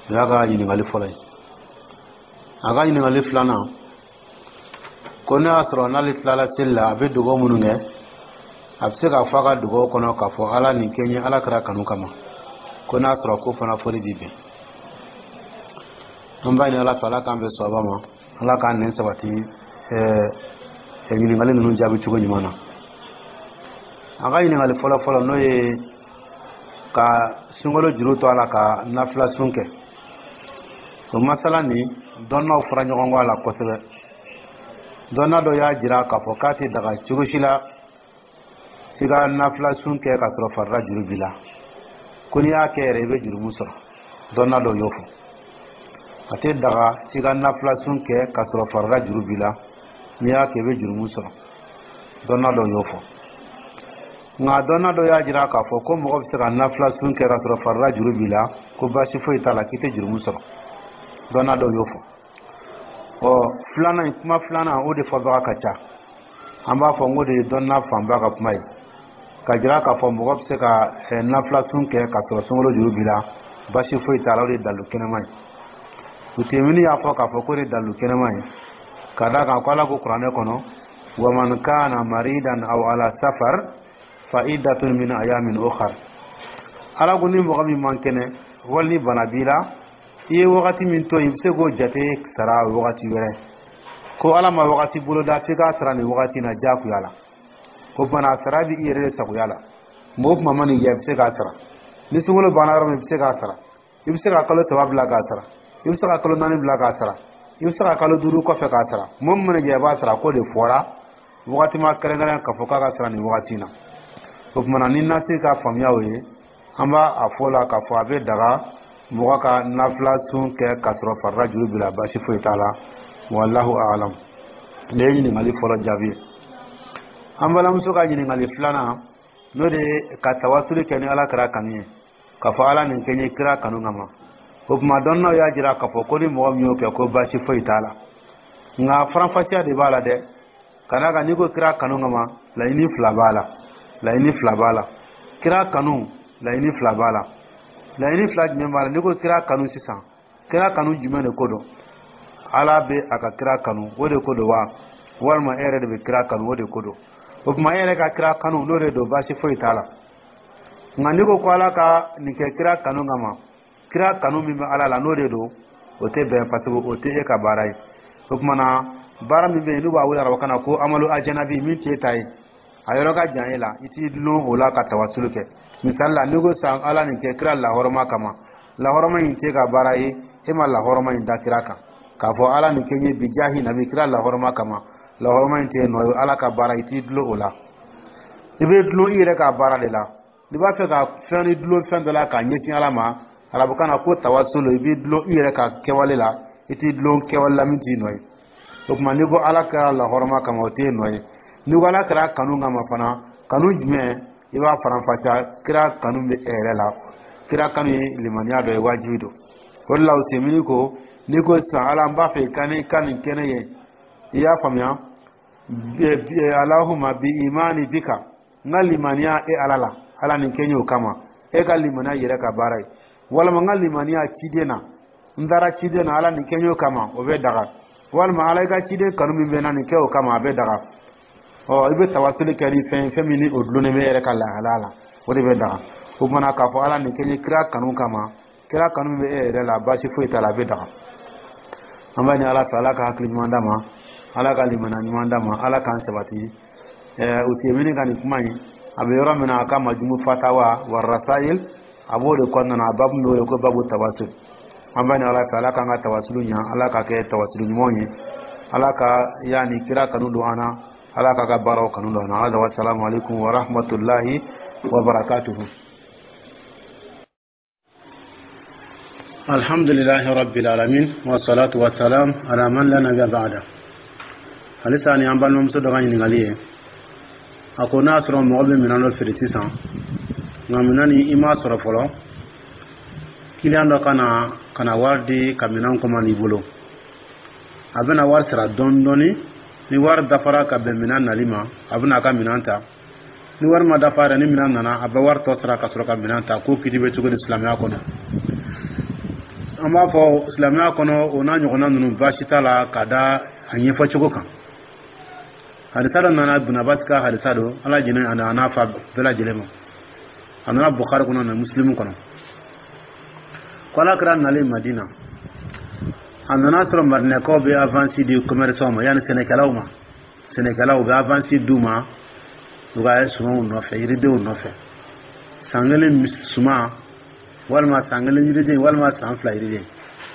O y'a ka ɲininkali fɔlɔ ye. A ka ɲininkali filanan ko ne y'a sɔrɔ n'ale tilala seli la, a bɛ dugawu minnu kɛ, a bɛ se k'a fɔ a ka dugawu kɔnɔ k'a fɔ Ala nin kɛ n ye Ala kira kanu kama, ko n'a sɔrɔ ko fana fɔli b'i bɛn. An b'a ɲini Ala fɛ, Ala k'an bɛn sawaba ma, Ala k'an nɛn sabati ɲininkali ninnu jaabi cogo ɲuman na. A ka ɲininkali fɔlɔ fɔlɔ, n'o ye ka sunkalo juru to a la ka nafila sun kɛ, o masala nin dɔnnaw fɔra ɲɔgɔn kɔ a la kosɛbɛ. Dɔnna dɔ y'a jira k'a fɔ k'a tɛ daga cogo si la i ka nafila sun kɛ k'a sɔrɔ farida juru b'i la, ko n'i y'a kɛ yɛrɛ i bɛ jurumu sɔrɔ. Dɔnna dɔ y'o fɔ, a tɛ daga i ka nafila sun kɛ k'a sɔrɔ farida juru b'i la, n'i y'a kɛ i bɛ jurumu sɔrɔ. Dɔnna dɔ y'o fɔ. Nka dɔnna dɔ y'a jira k'a fɔ ko mɔgɔ bɛ se ka nafila sun kɛ k'a sɔrɔ farida juru b'i la, ko baasi foyi t'a la, k'i tɛ jurumu sɔrɔ. Dɔnna dɔ y'o fɔ. Ɔ filanan in, kuma filanan o de fɔbaga ka ca. An b'a fɔ n ko de ye dɔnna fanba ka kuma ye, ka jira k'a fɔ mɔgɔ bɛ se ka nafila sun kɛ k'a sɔrɔ sunkalo juru b'i la, baasi foyi t'a la, o de ye dalilu kɛnɛma ye. Utemini y'a fɔ k'a fɔ k'o de ye dalilu kɛnɛma ye, ka d'a kan ko Ala ko kuranɛ kɔnɔ: wa man kana maridan aw ala safar fa iddatun min ayamin ukhar. Ala ko ni mɔgɔ min man kɛnɛ wali ni bana b'i la, i ye wagati min to yen, i bɛ se k'o jate sara wagati wɛrɛ. Ko Ala ma wagati boloda f'i k'a sara nin wagati in na diyagoya la. O bana sara bɛ i yɛrɛ de sagoya la. Mɔgɔ kuma ma nin diya, i bɛ se k'a sara. Ni sunkalo banna yɔrɔ min, i bɛ se k'a sara. I bɛ se ka kalo 3 bila k'a sara, i bɛ se ka kalo 4 bila k'a sara, i bɛ se ka kalo 5 kɔfɛ k'a sara. Mɔgɔ min mana diya, i b'a sara. K'o de fɔra, wagati ma kɛrɛnkɛrɛn k'a fɔ k'a ka sara nin wagati in na. O tuma na ni nasi ka faamuya o ye, an b'a a fɔ la k'a fɔ a bɛ daga mɔgɔ ka nafila sun kɛ k'a sɔrɔ farida juru b'i la, baasi foyi t'a la. Wallahu a'lam. Nin ye ɲininkali fɔlɔ jaabi ye. An balimamuso ka ɲininkali filanan, n'o de ye ka tawasuli kɛ ni Ala kira kanu ye, k'a fɔ Ala nin kɛ n ye kira kanu kama. O tuma dɔnnaw y'a jira k'a fɔ ko ni mɔgɔ min y'o kɛ, ko baasi foyi t'a la. Nka faranfasiya de b'a la dɛ, ka d'a kan n'i ko kira kanu kama, laɲini fila b'a la. Laɲini fila b'a la. Kira kanu, laɲini fila b'a la. Laɲini fila jumɛn b'a la? N'i ko kira kanu sisan, kira kanu jumɛn de ko don? Ala bɛ a ka kira kanu, o de ko don wa? Walima e yɛrɛ de bɛ kira kanu, o de ko don? O tuma e yɛrɛ ka kira kanu, n'o de don, baasi foyi t'a la. Nka n'i ko ko Ala ka nin kɛ kira kanu kama, kira kanu min bɛ Ala la, n'o de don, o tɛ bɛn, parce que o tɛ e ka baara ye. O tuma na baara min bɛ yen n'u b'a wele arabukan na ko amalu ajanabi, min t'e ta ye, a yɔrɔ ka jan e la, i t'i dulon o la ka tawasulu kɛ. Misali la, n'i ko sisan Ala nin kɛ kira lahɔrɔma kama, lahɔrɔma in t'e ka baara ye, e ma lahɔrɔma in da kira kan k'a fɔ Ala nin kɛ n ye bijahi nabi kira lahɔrɔma kama, lahɔrɔma in t'e nɔ ye, Ala ka baara, i t'i dulon o la. I bɛ dulon i yɛrɛ ka baara de la. N'i b'a fɛ ka fɛn ni dulon fɛn dɔ la k'a ɲɛsin Ala ma, arabukan na ko tawasulu, i b'i dulon i yɛrɛ ka kɛwale la, i t'i dulon kɛwale la min t'i nɔ ye. O tuma n'i ko Ala kɛra lahɔrɔma kama, o t'e nɔ ye. N'i ko Ala kɛra kanu kama fana, kanu jumɛn? I b'a faranfasiya, kira kanu bɛ e yɛrɛ la. Kira kanu ye limaniya dɔ ye, wajibi don. O de la Usemini ko n'i ko sisan Ala n b'a fɛ i ka nin kɛ ne ye, i y'a faamuya, Alahuma bi imani bika, n ka limaniya e Ala la, Ala nin kɛ n ye o kama, e ka limaniya yɛrɛ ka baara ye. Walima n ka limaniya ciden na, n taara ciden na, Ala nin kɛ n ye o kama, o bɛ daga. Walima Ala i ka ciden kanu min bɛ n na, nin kɛ o kama, a bɛ daga. Ɔ, i bɛ tawasuli kɛ ni fɛn fɛn min ni o dulonnen bɛ e yɛrɛ ka lahalaya la, o de bɛ daga. O kumana k'a fɔ Ala nin kɛ n ye kira kanu kama, kira kanu min bɛ e yɛrɛ la, baasi foyi t'a la, a bɛ daga. An b'a ɲini Ala fɛ, Ala ka hakili ɲuman d'a ma, Ala ka limaniya ɲuman d'a ma, Ala k'an sabati. Useyimini ka nin kuma in, a bɛ yɔrɔ min na, a ka Majumu Fatawa wa Rasayil, a b'o de kɔnɔna na, a babu min bɛ wele ko babu tawasul. An b'a ɲini Ala fɛ, Ala k'an ka tawasulu ɲa, Ala ka kɛ tawasulu ɲumanw ye, Ala ka yaani kira kanu don an na, Ala k'a ka baaraw kanu don an na. Ala wa salamu alaikum wa rahmatullahi wa barakatuhu. Alhamdulillahi rabbil alamin, wa salatu wa salam ala man la nabiyya ba'da. Halisa ni an balimamuso dɔ ka ɲininkali ye. A ko n'a sɔrɔ mɔgɔ bɛ minɛn dɔ feere sisan, nka minɛn ni i m'a sɔrɔ fɔlɔ, kiliyan dɔ ka na ka na wari di ka minɛn kɔmandi i bolo, a bɛna wari sara dɔɔni dɔɔni. Ni wari dafara ka bɛn minɛn nali ma, a bɛna a ka minɛn ta. Ni wari ma dafa yɛrɛ, ni minɛn nana, a bɛ wari tɔ sara ka sɔrɔ ka minɛn ta. Ko kiti bɛ cogo di silamɛya kɔnɔ? An b'a fɔ silamɛya kɔnɔ, o n'a ɲɔgɔnna ninnu, baasi t'a la, ka da a ɲɛfɔ cogo kan. Hadisa dɔ nana, Ibn Abbas ka hadisa don, Ala jɛnɛ a n'a fa bɛɛ lajɛlen ma. A nana Bukhari kɔnɔ na Muslimu kɔnɔ, ko Ala kira nalen Madina, a nana sɔrɔ Madinɛkaw bɛ avance di commerçant ma, yanni sɛnɛkɛlaw ma. Sɛnɛkɛlaw bɛ avance d'u ma u ka sumanw nɔfɛ, yiridenw nɔfɛ, san kelen suman walima san kelen yiriden walima san 2 yiriden,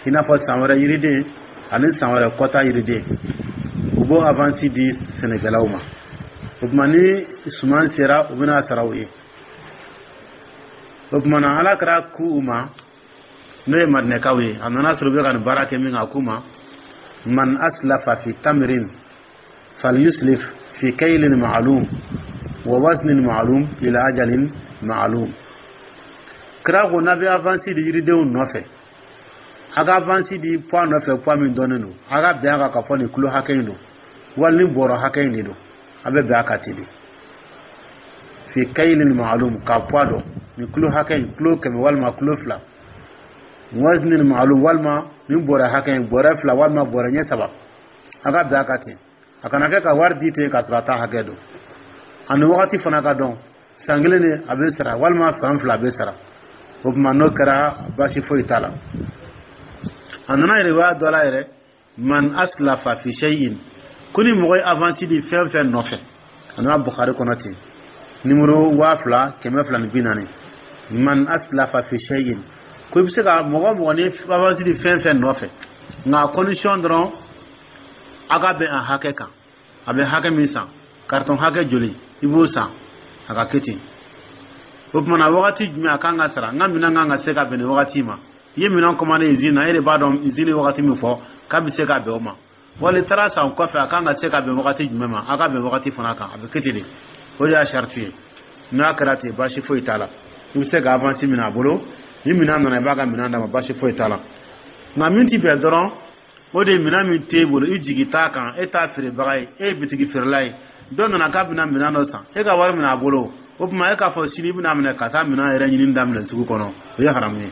i n'a fɔ san wɛrɛ yiriden ani san wɛrɛ kɔta yiriden, u b'o avance di sɛnɛkɛlaw ma. O tuma ni suman sera, u bɛna sara u ye. O tuma na, Ala kɛra ku u ma, n'o ye Madinɛkaw ye, a nana sɔrɔ u bɛ ka nin baara kɛ min kan, a k'u ma: man aslafa fi tamrin falyuslif fi kaylin ma'lum wa waznin ma'lum ila ajalin ma'lum. Kira ko n'a bɛ avance di yiridenw nɔfɛ, a ka avance di poids nɔfɛ, poids min dɔnnen don, a ka bɛn a kan k'a fɔ nin kilo hakɛ in don wali ni bɔrɔ hakɛ in de don, a bɛ bɛn a kan ten de. Fi kaylin ma'lum, ka poids dɔn, nin kilo hakɛ in, kilo 100 walima kilo 2, waznin ma'lum, walima nin bɔrɛ hakɛ in, bɔrɛ 2 walima bɔrɛ ɲɛ 3, a ka bɛn a kan ten. A kana kɛ ka wari di ten k'a sɔrɔ a t'a hakɛ dɔn. Ani wagati fana ka dɔn, san kelen de a bɛ sara walima san 2 a bɛ sara. O tuma n'o kɛra, baasi foyi t'a la. A nana riwaya dɔ la yɛrɛ: man aslafa fi shay'in, ko ni mɔgɔ ye avance di fɛn fɛn nɔfɛ. A nana Bukhari kɔnɔ ten, numéro 2240. Man aslafa fi shay'in, ko i bɛ se ka mɔgɔ mɔgɔ ni avance di fɛn fɛn nɔfɛ, nka condition dɔrɔn, a ka bɛn a hakɛ kan, a bɛ hakɛ min san, carton hakɛ joli i b'o san, a ka kɛ ten. O tuma na, wagati jumɛn a kan ka sara? N ka minɛn kan ka se ka bɛn nin wagati ma. I ye minɛn commandé usine na, e de b'a dɔn usine ye wagati min fɔ k'a bɛ se ka bɛn o ma. Wali taara san kɔfɛ, a kan ka se ka bɛn wagati jumɛn ma, a ka bɛn wagati fana kan, a bɛ kɛ ten de. O de y'a sariti ye. N'a kɛra ten, baasi foyi t'a la. I bɛ se ka avance minɛ a bolo, ni minɛn nana, i b'a ka minɛn d'a ma, baasi foyi t'a la. Nka min ti bɛn dɔrɔn, o de ye minɛn min t'e bolo, i jigi t'a kan, e t'a feerebaga ye, e ye bitigi feerela ye, dɔ nana k'a bɛna minɛn dɔ san, e ka wari minɛ a bolo. O tuma e k'a fɔ sini i bɛna minɛ ka taa minɛn yɛrɛ ɲini daminɛ sugu kɔnɔ, o ye haramu ye.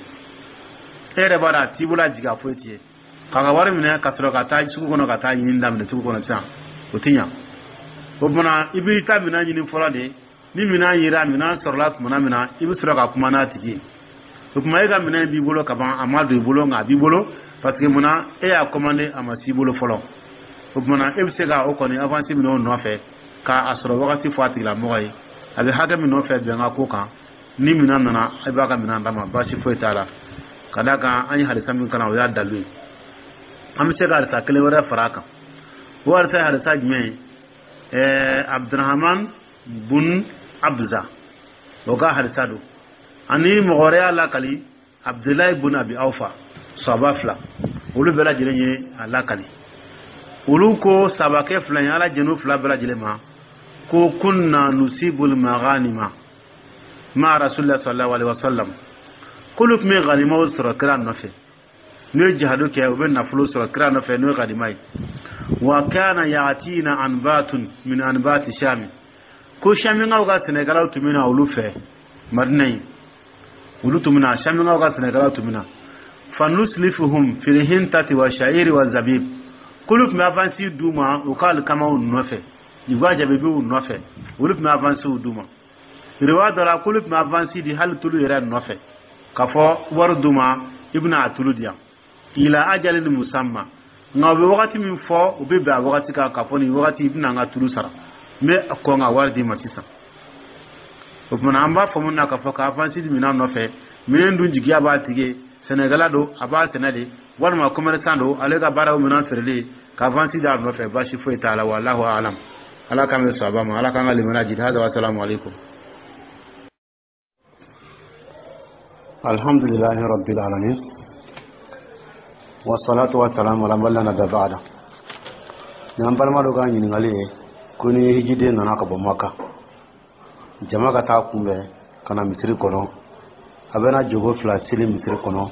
E yɛrɛ b'a dɔn a t'i bolo, a jigi a foyi t'i ye, k'a ka wari minɛ ka sɔrɔ ka taa sugu kɔnɔ ka taa ɲini daminɛ sugu kɔnɔ sisan, o ti ɲa. O tuma i b'i ta minɛn ɲini fɔlɔ de. Ni minɛn yera, minɛn sɔrɔla tuma min na, i bɛ sɔrɔ ka kuma n'a tigi ye. O tuma e ka minɛn b'i bolo ka ban, a ma don i bolo, nka a b'i bolo, parce que munna e y'a commandé, a ma s'i bolo fɔlɔ. O tuma na, e bɛ se ka o kɔni avance minɛ o nɔfɛ, k'a sɔrɔ wagati fɔ a tigilamɔgɔ ye, a bɛ hakɛ min nɔfɛ, bɛnkan ko kan. Ni minɛn nana, e b'a ka minɛn d'a ma, baasi foyi t'a la. Ka d'a kan an ye hadisa min kalan, o y'a dalu ye. An bɛ se ka hadisa kelen wɛrɛ fara a kan. O hadisa ye hadisa jumɛn ye? Abdurahman bun Abza, o ka hadisa don. Ani mɔgɔ wɛrɛ y'a lakali, Abdulayi bun Abi Awfa, sahaba fila, olu bɛɛ lajɛlen ye a lakali. Olu ko, sahabakɛ fila ye, Ala jɛn'u fila bɛɛ lajɛlen ma, ko kunna nusibul maghanima ma rasulillah sallallahu alaihi wasallam, k'olu tun bɛ ganimaw sɔrɔ kira nɔfɛ. N'u ye jihadu kɛ, u bɛ nafolo sɔrɔ kira nɔfɛ, n'o ye ganima ye. Wa kana yatina anbatun min anbati shami, ko shaminkaw ka sɛnɛkɛlaw tun bɛ na olu fɛ Madina yen, olu tun bɛ na, shaminkaw ka sɛnɛkɛlaw tun bɛ na. Fanuslifuhum fil hintati wa sha'iri wa zabib, k'olu tun bɛ avance d'u ma u ka alikamaw nɔfɛ. U b'a jaabi b'u nɔfɛ, olu tun bɛ avansiw d'u ma. Riwaya dɔ la, k'olu tun bɛ avansi di hali tulu yɛrɛ nɔfɛ, k'a fɔ wari d'u ma, i bɛna a tulu di yan, ila ajalin musamma. Nka u bɛ wagati min fɔ, u bɛ bɛn a wagati kan, k'a fɔ nin wagati i bɛna an ka tulu sara, n bɛ kɔn ka wari d'i ma sisan. O tuma an b'a faamu na k'a fɔ ka avansi di minɛn nɔfɛ, minɛn dun jigiya b'a tigi, sɛnɛkɛla don, a b'a sɛnɛ de, walima commerçant don, ale ka baara ye minɛn feereli, ka avansi d'a nɔfɛ, baasi foyi t'a la. Wallahu alam. Ala k'an bɛ sɔn ma, Ala k'an ka limaniya jidi. Hada wa salamu alaikum. Alhamdulillahi rabbil alamin, wasalatu wasalamu ala man la nabiyya ba'da. Ni an balima dɔ ka ɲininkali ye ko ni hijiden nana ka bɔ Maka, jama ka taa kunbɛn ka na misiri kɔnɔ, a bɛna jogo fila seli misiri kɔnɔ,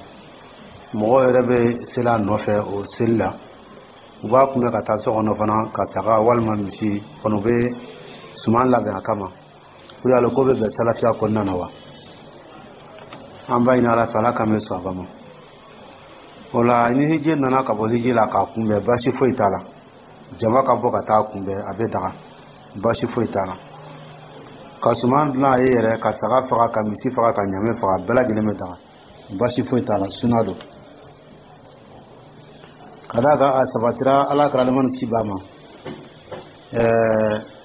mɔgɔw yɛrɛ bɛ seli a nɔfɛ o seli la, u b'a kunbɛn ka taa so kɔnɔ fana, ka saga walima misi kɔnɔ, u bɛ suman labɛn a kama, ko yala ko bɛ bɛn salafiya kɔnɔna na wa? An b'a ɲini Ala fɛ, Ala k'an bɛ sɔn a ma. O la, ni hiji nana ka bɔ hiji la k'a kunbɛn, baasi foyi t'a la. Jama ka bɔ ka taa kunbɛn, a bɛ daga, baasi foyi t'a la. Ka suman dilan a ye yɛrɛ, ka saga faga, ka misi faga, ka ɲamɛ faga, bɛɛ lajɛlen bɛ daga, baasi foyi t'a la, suna don. Ka d'a kan a sabatira Ala kira nɛɛma ni kisi b'a ma,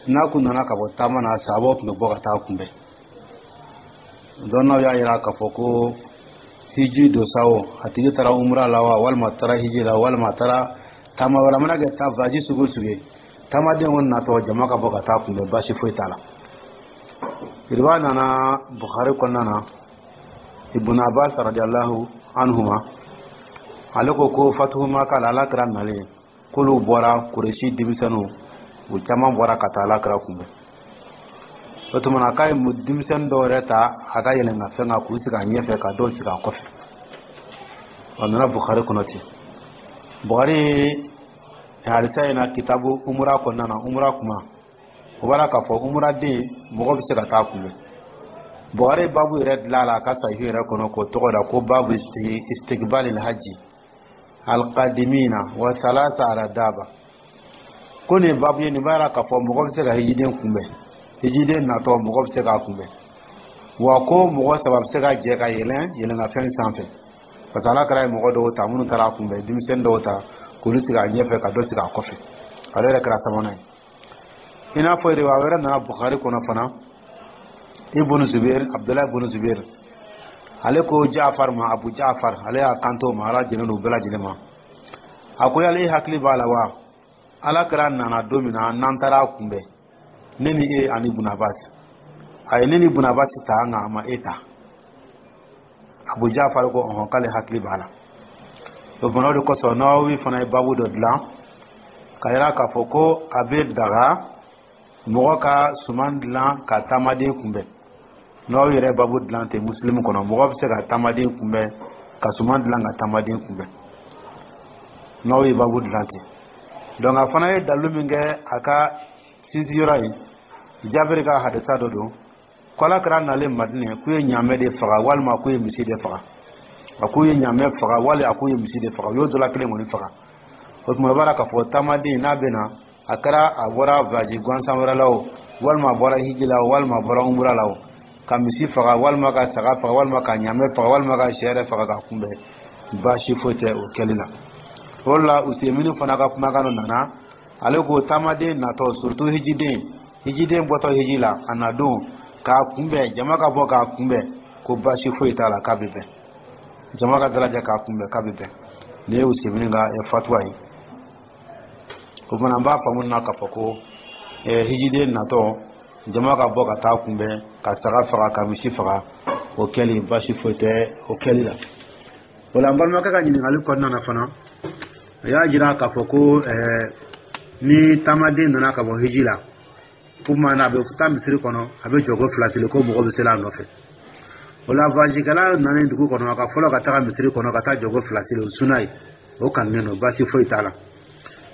n'a kun nana ka bɔ taama na, sahabaw tun bɛ bɔ ka taa kunbɛn. Dɔnnaw y'a yira k'a fɔ ko hiji don sa o, a tigi taara umra la wa, walima taara hiji la, walima taara taama wɛrɛ, mana kɛ taa voyage sugu o sugu ye, taamaden kɔni natɔ, jama ka bɔ ka taa kunbɛn, baasi foyi t'a la. Riwaya nana Bukhari kɔnɔna na, Ibn Abbas radiyallahu anhuma, ale ko ko fatuhu Maka la, Ala kira nalen, k'olu bɔra, Kuresi denmisɛnninw, u caman bɔra ka taa Ala kira kunbɛn. O tuma na, k'a ye denmisɛnnin dɔw yɛrɛ ta a ka yɛlɛnkanfɛn kan, k'u sigi a ɲɛfɛ, ka dɔw sigi a kɔfɛ. A nana Bukhari kɔnɔ ten. Bukhari hadisa in na, kitabu umura kɔnɔna na, umura kuma, o b'a la k'a fɔ umuraden mɔgɔ bɛ se ka taa kunbɛn. Bukhari babu yɛrɛ dilan a la a ka sahihu yɛrɛ kɔnɔ, k'o tɔgɔ da ko babu istiqbal alhaji alqadimina wa salasa ala daba. Ko nin babu ye, nin b'a yira k'a fɔ mɔgɔ bɛ se ka hijiden kunbɛn, hijiden natɔ, mɔgɔ bɛ se k'a kunbɛn, wa ko mɔgɔ saba bɛ se ka jɛ ka yɛlɛn yɛlɛnkanfɛn sanfɛ, parce que Ala kɛra ye mɔgɔ dɔw ta minnu taara a kunbɛn, denmisɛnnin dɔw ta k'olu sigi a ɲɛfɛ, ka dɔ sigi a kɔfɛ, ale yɛrɛ kɛra sabanan ye. I n'a fɔ riwaya wɛrɛ nana Bukhari kɔnɔ fana, Ibn Zubair, Abdullahi ibn Zubair, ale ko Jaafar ma, Abu Jaafar, ale y'a kanto ma, Ala jɛnnen don bɛɛ lajɛlen ma, a ko yala e hakili b'a la wa, Ala kɛra nana don min na n'an taara a kunbɛn, ne ni e ani Ibn Abbas, a ye ne ni Ibn Abbas ta, nka a ma e ta. Abu Jaafar ko ɔhɔn, k'ale hakili b'a la. O fana, o de kosɔn Nawawi fana ye babu dɔ dilan ka yira k'a fɔ ko a bɛ daga mɔgɔ ka suman dilan ka taamaden kunbɛn. Nawawi yɛrɛ babu dilan ten Muslim kɔnɔ, mɔgɔ bɛ se ka taamaden kunbɛn, ka suman dilan ka taamaden kunbɛn. Nawawi ye babu dilan ten. Donc a fana ye dalilu min kɛ a ka sinsinyɔrɔ ye, Jabiri ka hadisa dɔ don, ko Ala kɛra nalen Madinɛ, k'u ye ɲaamɛ de faga walima k'u ye misi de faga. A k'u ye ɲaamɛ faga wali a k'u ye misi de faga, u y'o dɔ la kelen kɔni faga. O tuma, o b'a la k'a fɔ taamaden n'a bɛ na, a kɛra a bɔra voyage gansan wɛrɛ la o, walima a bɔra hiji la o, walima a bɔra umura la o, ka misi faga walima ka saga faga walima ka ɲaamɛ faga walima ka sɛ yɛrɛ faga ka kunbɛn, baasi foyi tɛ o kɛli la. O la, Usemini fana ka kumakan dɔ nana, ale ko taamaden natɔ, surtout hijiden, hijiden bɔtɔ hiji la, a na don k'a kunbɛn, jama ka bɔ k'a kunbɛn, ko baasi foyi t'a la, k'a bɛ bɛn, jama ka dalajɛ k'a kunbɛn, k'a bɛ bɛn. Nin ye Usemini ka fatuwa ye. O fana, an b'a faamu na k'a fɔ ko hijiden natɔ, jama ka bɔ ka taa kunbɛn, ka saga faga, ka misi faga, o kɛli, baasi foyi tɛ o kɛli la. O la, an balimakɛ ka ɲininkali kɔnɔna na fana, a y'a jira k'a fɔ ko ni taamaden nana ka bɔ hiji la, kuma na a bɛ taa misiri kɔnɔ, a bɛ jɔko fila seli, ko mɔgɔ bɛ seli a nɔfɛ. O la, voyagekɛla nalen dugu kɔnɔ, a ka fɔlɔ ka taga misiri kɔnɔ ka taa jɔko fila seli, o suna ye, o kanunen don, baasi foyi t'a la.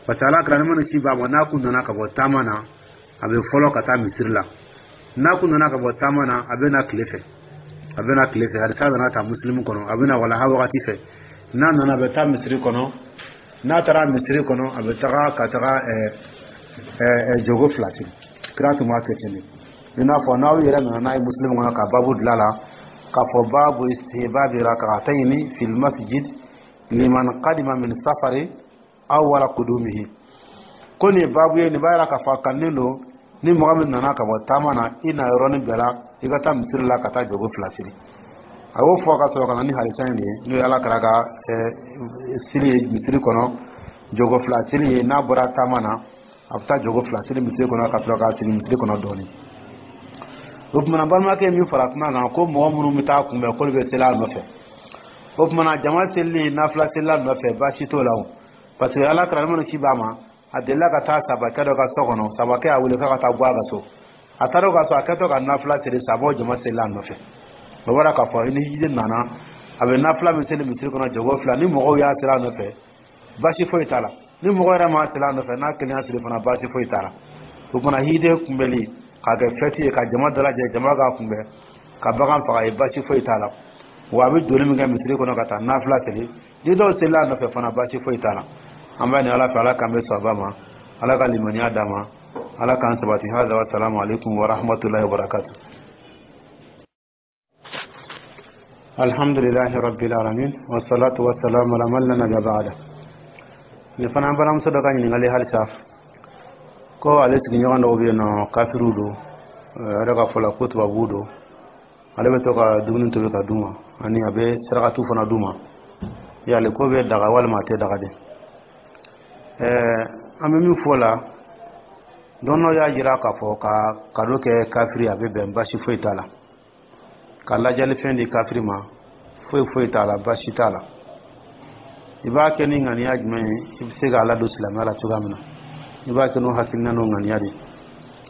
Parce que Ala kira nɛɛma ni kisi b'a ma, n'a kun nana ka bɔ taama na, a bɛ fɔlɔ ka taa misiri la. N'a kun nana ka bɔ taama na, a bɛ na tile fɛ, a bɛ na tile fɛ. Hadisa nana ta Musilimu kɔnɔ, a bɛ na walaha wagati fɛ. N'a nana, a bɛ taa misiri kɔnɔ. N'a taara misiri kɔnɔ, a bɛ taga ka taga Jogo fila seli, kira tun b'a kɛ ten de. I n'a fɔ n'aw yɛrɛ nana n'a ye Muslim kɔnɔ ka babu dilan la k'a fɔ babu istihbabi rak'atayni fil masjid liman qadima min safari aw wala kudumihi, ko nin ye babu ye, nin b'a yira k'a fɔ a kanunen don ni mɔgɔ min nana ka bɔ taama na, i na yɔrɔnin bɛɛ la, i ka taa misiri la ka taa jogo fila seli. A y'o fɔ ka sɔrɔ ka na ni hadisa in de ye, n'o ye Ala kira ka seli ye misiri kɔnɔ, jogo fila seli ye. N'a bɔra taama na, a bɛ taa jogo fila seli misiri kɔnɔ ka sɔrɔ k'a sigi misiri kɔnɔ dɔɔnin. O tumana, balimakɛ min fara kuma kan ko mɔgɔ minnu bɛ taa kunbɛn, k'olu bɛ seli a nɔfɛ, o tumana jama selili nafila selila nɔfɛ, baasi t'o la o, parce que Ala kira minnu ci b'a ma, a delila ka taa sabakɛ dɔ ka so kɔnɔ. Sabakɛ y'a wele k'a ka taa bɔ a ka so. A taara o ka so, a kɛtɔ ka nafila seli, sabaw jama selila a nɔfɛ. O bɔra k'a fɔ ni hijiden nana, a bɛ nafila min seli misiri kɔnɔ, jogo fila, ni mɔgɔw y'a seli a nɔfɛ, baasi foyi t'a la. Ni mɔgɔ yɛrɛ m'a seli a nɔfɛ, n'a kelen y'a seli fana, baasi foyi t'a la. O kumana, hijiden kunbɛli k'a kɛ fɛti ye, ka jama dalajɛ, jama k'a kunbɛn, ka bagan faga ye, baasi foyi t'a la. Wa a bɛ doni min kɛ misiri kɔnɔ ka taa nafila seli, ni dɔw selila a nɔfɛ fana, baasi foyi t'a la. An b'a ɲini Ala fɛ, Ala k'an bɛ sɔn ma, Ala ka limaniya d'an ma, Ala k'an sabati. Hada wa salamu alaikum wa rahmatullahi wa barakatuh. Alhamdulillahi rabbil alamin, wa salatu wa salamu ala man la nabiyya ba'da. Nin fana balimamuso dɔ ka ɲininkali halisa, ko ale sigiɲɔgɔn dɔw bɛ yen nɔ, kafiriw don, a yɛrɛ ka fɔ la ko tubabuw don. Ale bɛ to ka dumuni tobi ka d'u ma, ani a bɛ sarakatu fana d'u ma. Yali ko bɛ daga walima a tɛ daga de? An bɛ min fɔ la, dɔnnɔ y'a jira k'a fɔ ka kado kɛ kafiri, a bɛ bɛn, baasi foyi t'a la. Ka lajɛlifɛn di kafiri ma, foyi foyi t'a la, baasi t'a la. I b'a kɛ ni ŋaniya jumɛn ye? I bɛ se k'a ladon silamɛya la cogoya min na, i b'a kɛ n'o hakilina n'o ŋaniya de ye.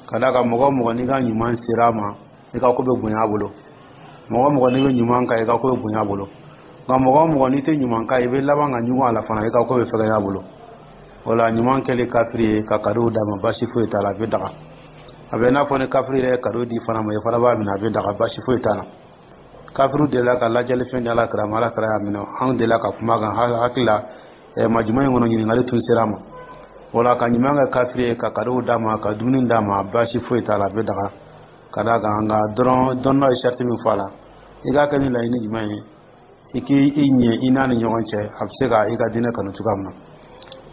Ka d'a kan mɔgɔ o mɔgɔ n'i ka ɲuman sera a ma, i ka ko bɛ bonya a bolo. Mɔgɔ o mɔgɔ n'i bɛ ɲuman k'a ye, i ka ko bɛ bonya a bolo. Nka mɔgɔ o mɔgɔ n'i tɛ ɲuman k'a ye, i bɛ laban ka ɲugun a la fana, i ka ko bɛ fɛgɛnya a bolo. O la, ɲuman kɛli kafiri ye, ka kadow d'a ma, baasi foyi t'a la, a bɛ daga. A bɛ n'a fɔ ni kafiri yɛrɛ ye kado di fana ma, i fana b'a minɛ, a bɛ daga, baasi foyi t'a la. Kafiriw delila ka lajɛlifɛn di Ala kira ma, Ala kira y'a minɛ. An delila ka kuma kan hakili la majuma in kɔnɔ, ɲininkali tun sera a ma. O la, ka ɲuman kɛ kafiri ye, ka kadow d'a ma, ka dumuni d'a ma, baasi foyi t'a la, a bɛ daga. Ka d'a kan nka dɔrɔn, dɔnnɔ ye sariti min fɔ a la, i k'a kɛ ni laɲini jumɛn ye, i k'i i ɲɛ i n'a ni ɲɔgɔn cɛ, a bɛ se ka i ka diinɛ kanu cogoya min na.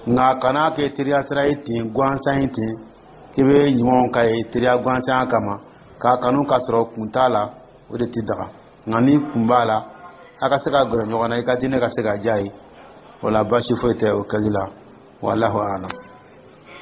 Nka kana kɛ teriya sira ye ten gansan ye ten, k'i bɛ ɲumanw k'a ye teriya gansan kama, k'a kanu k'a sɔrɔ kun t'a la, o de tɛ daga. Nka ni kun b'a la, a ka se ka gɛrɛ ɲɔgɔn na, i ka diinɛ ka se ka diya ye, o la baasi foyi tɛ o kɛli la. Wallahu a'lam.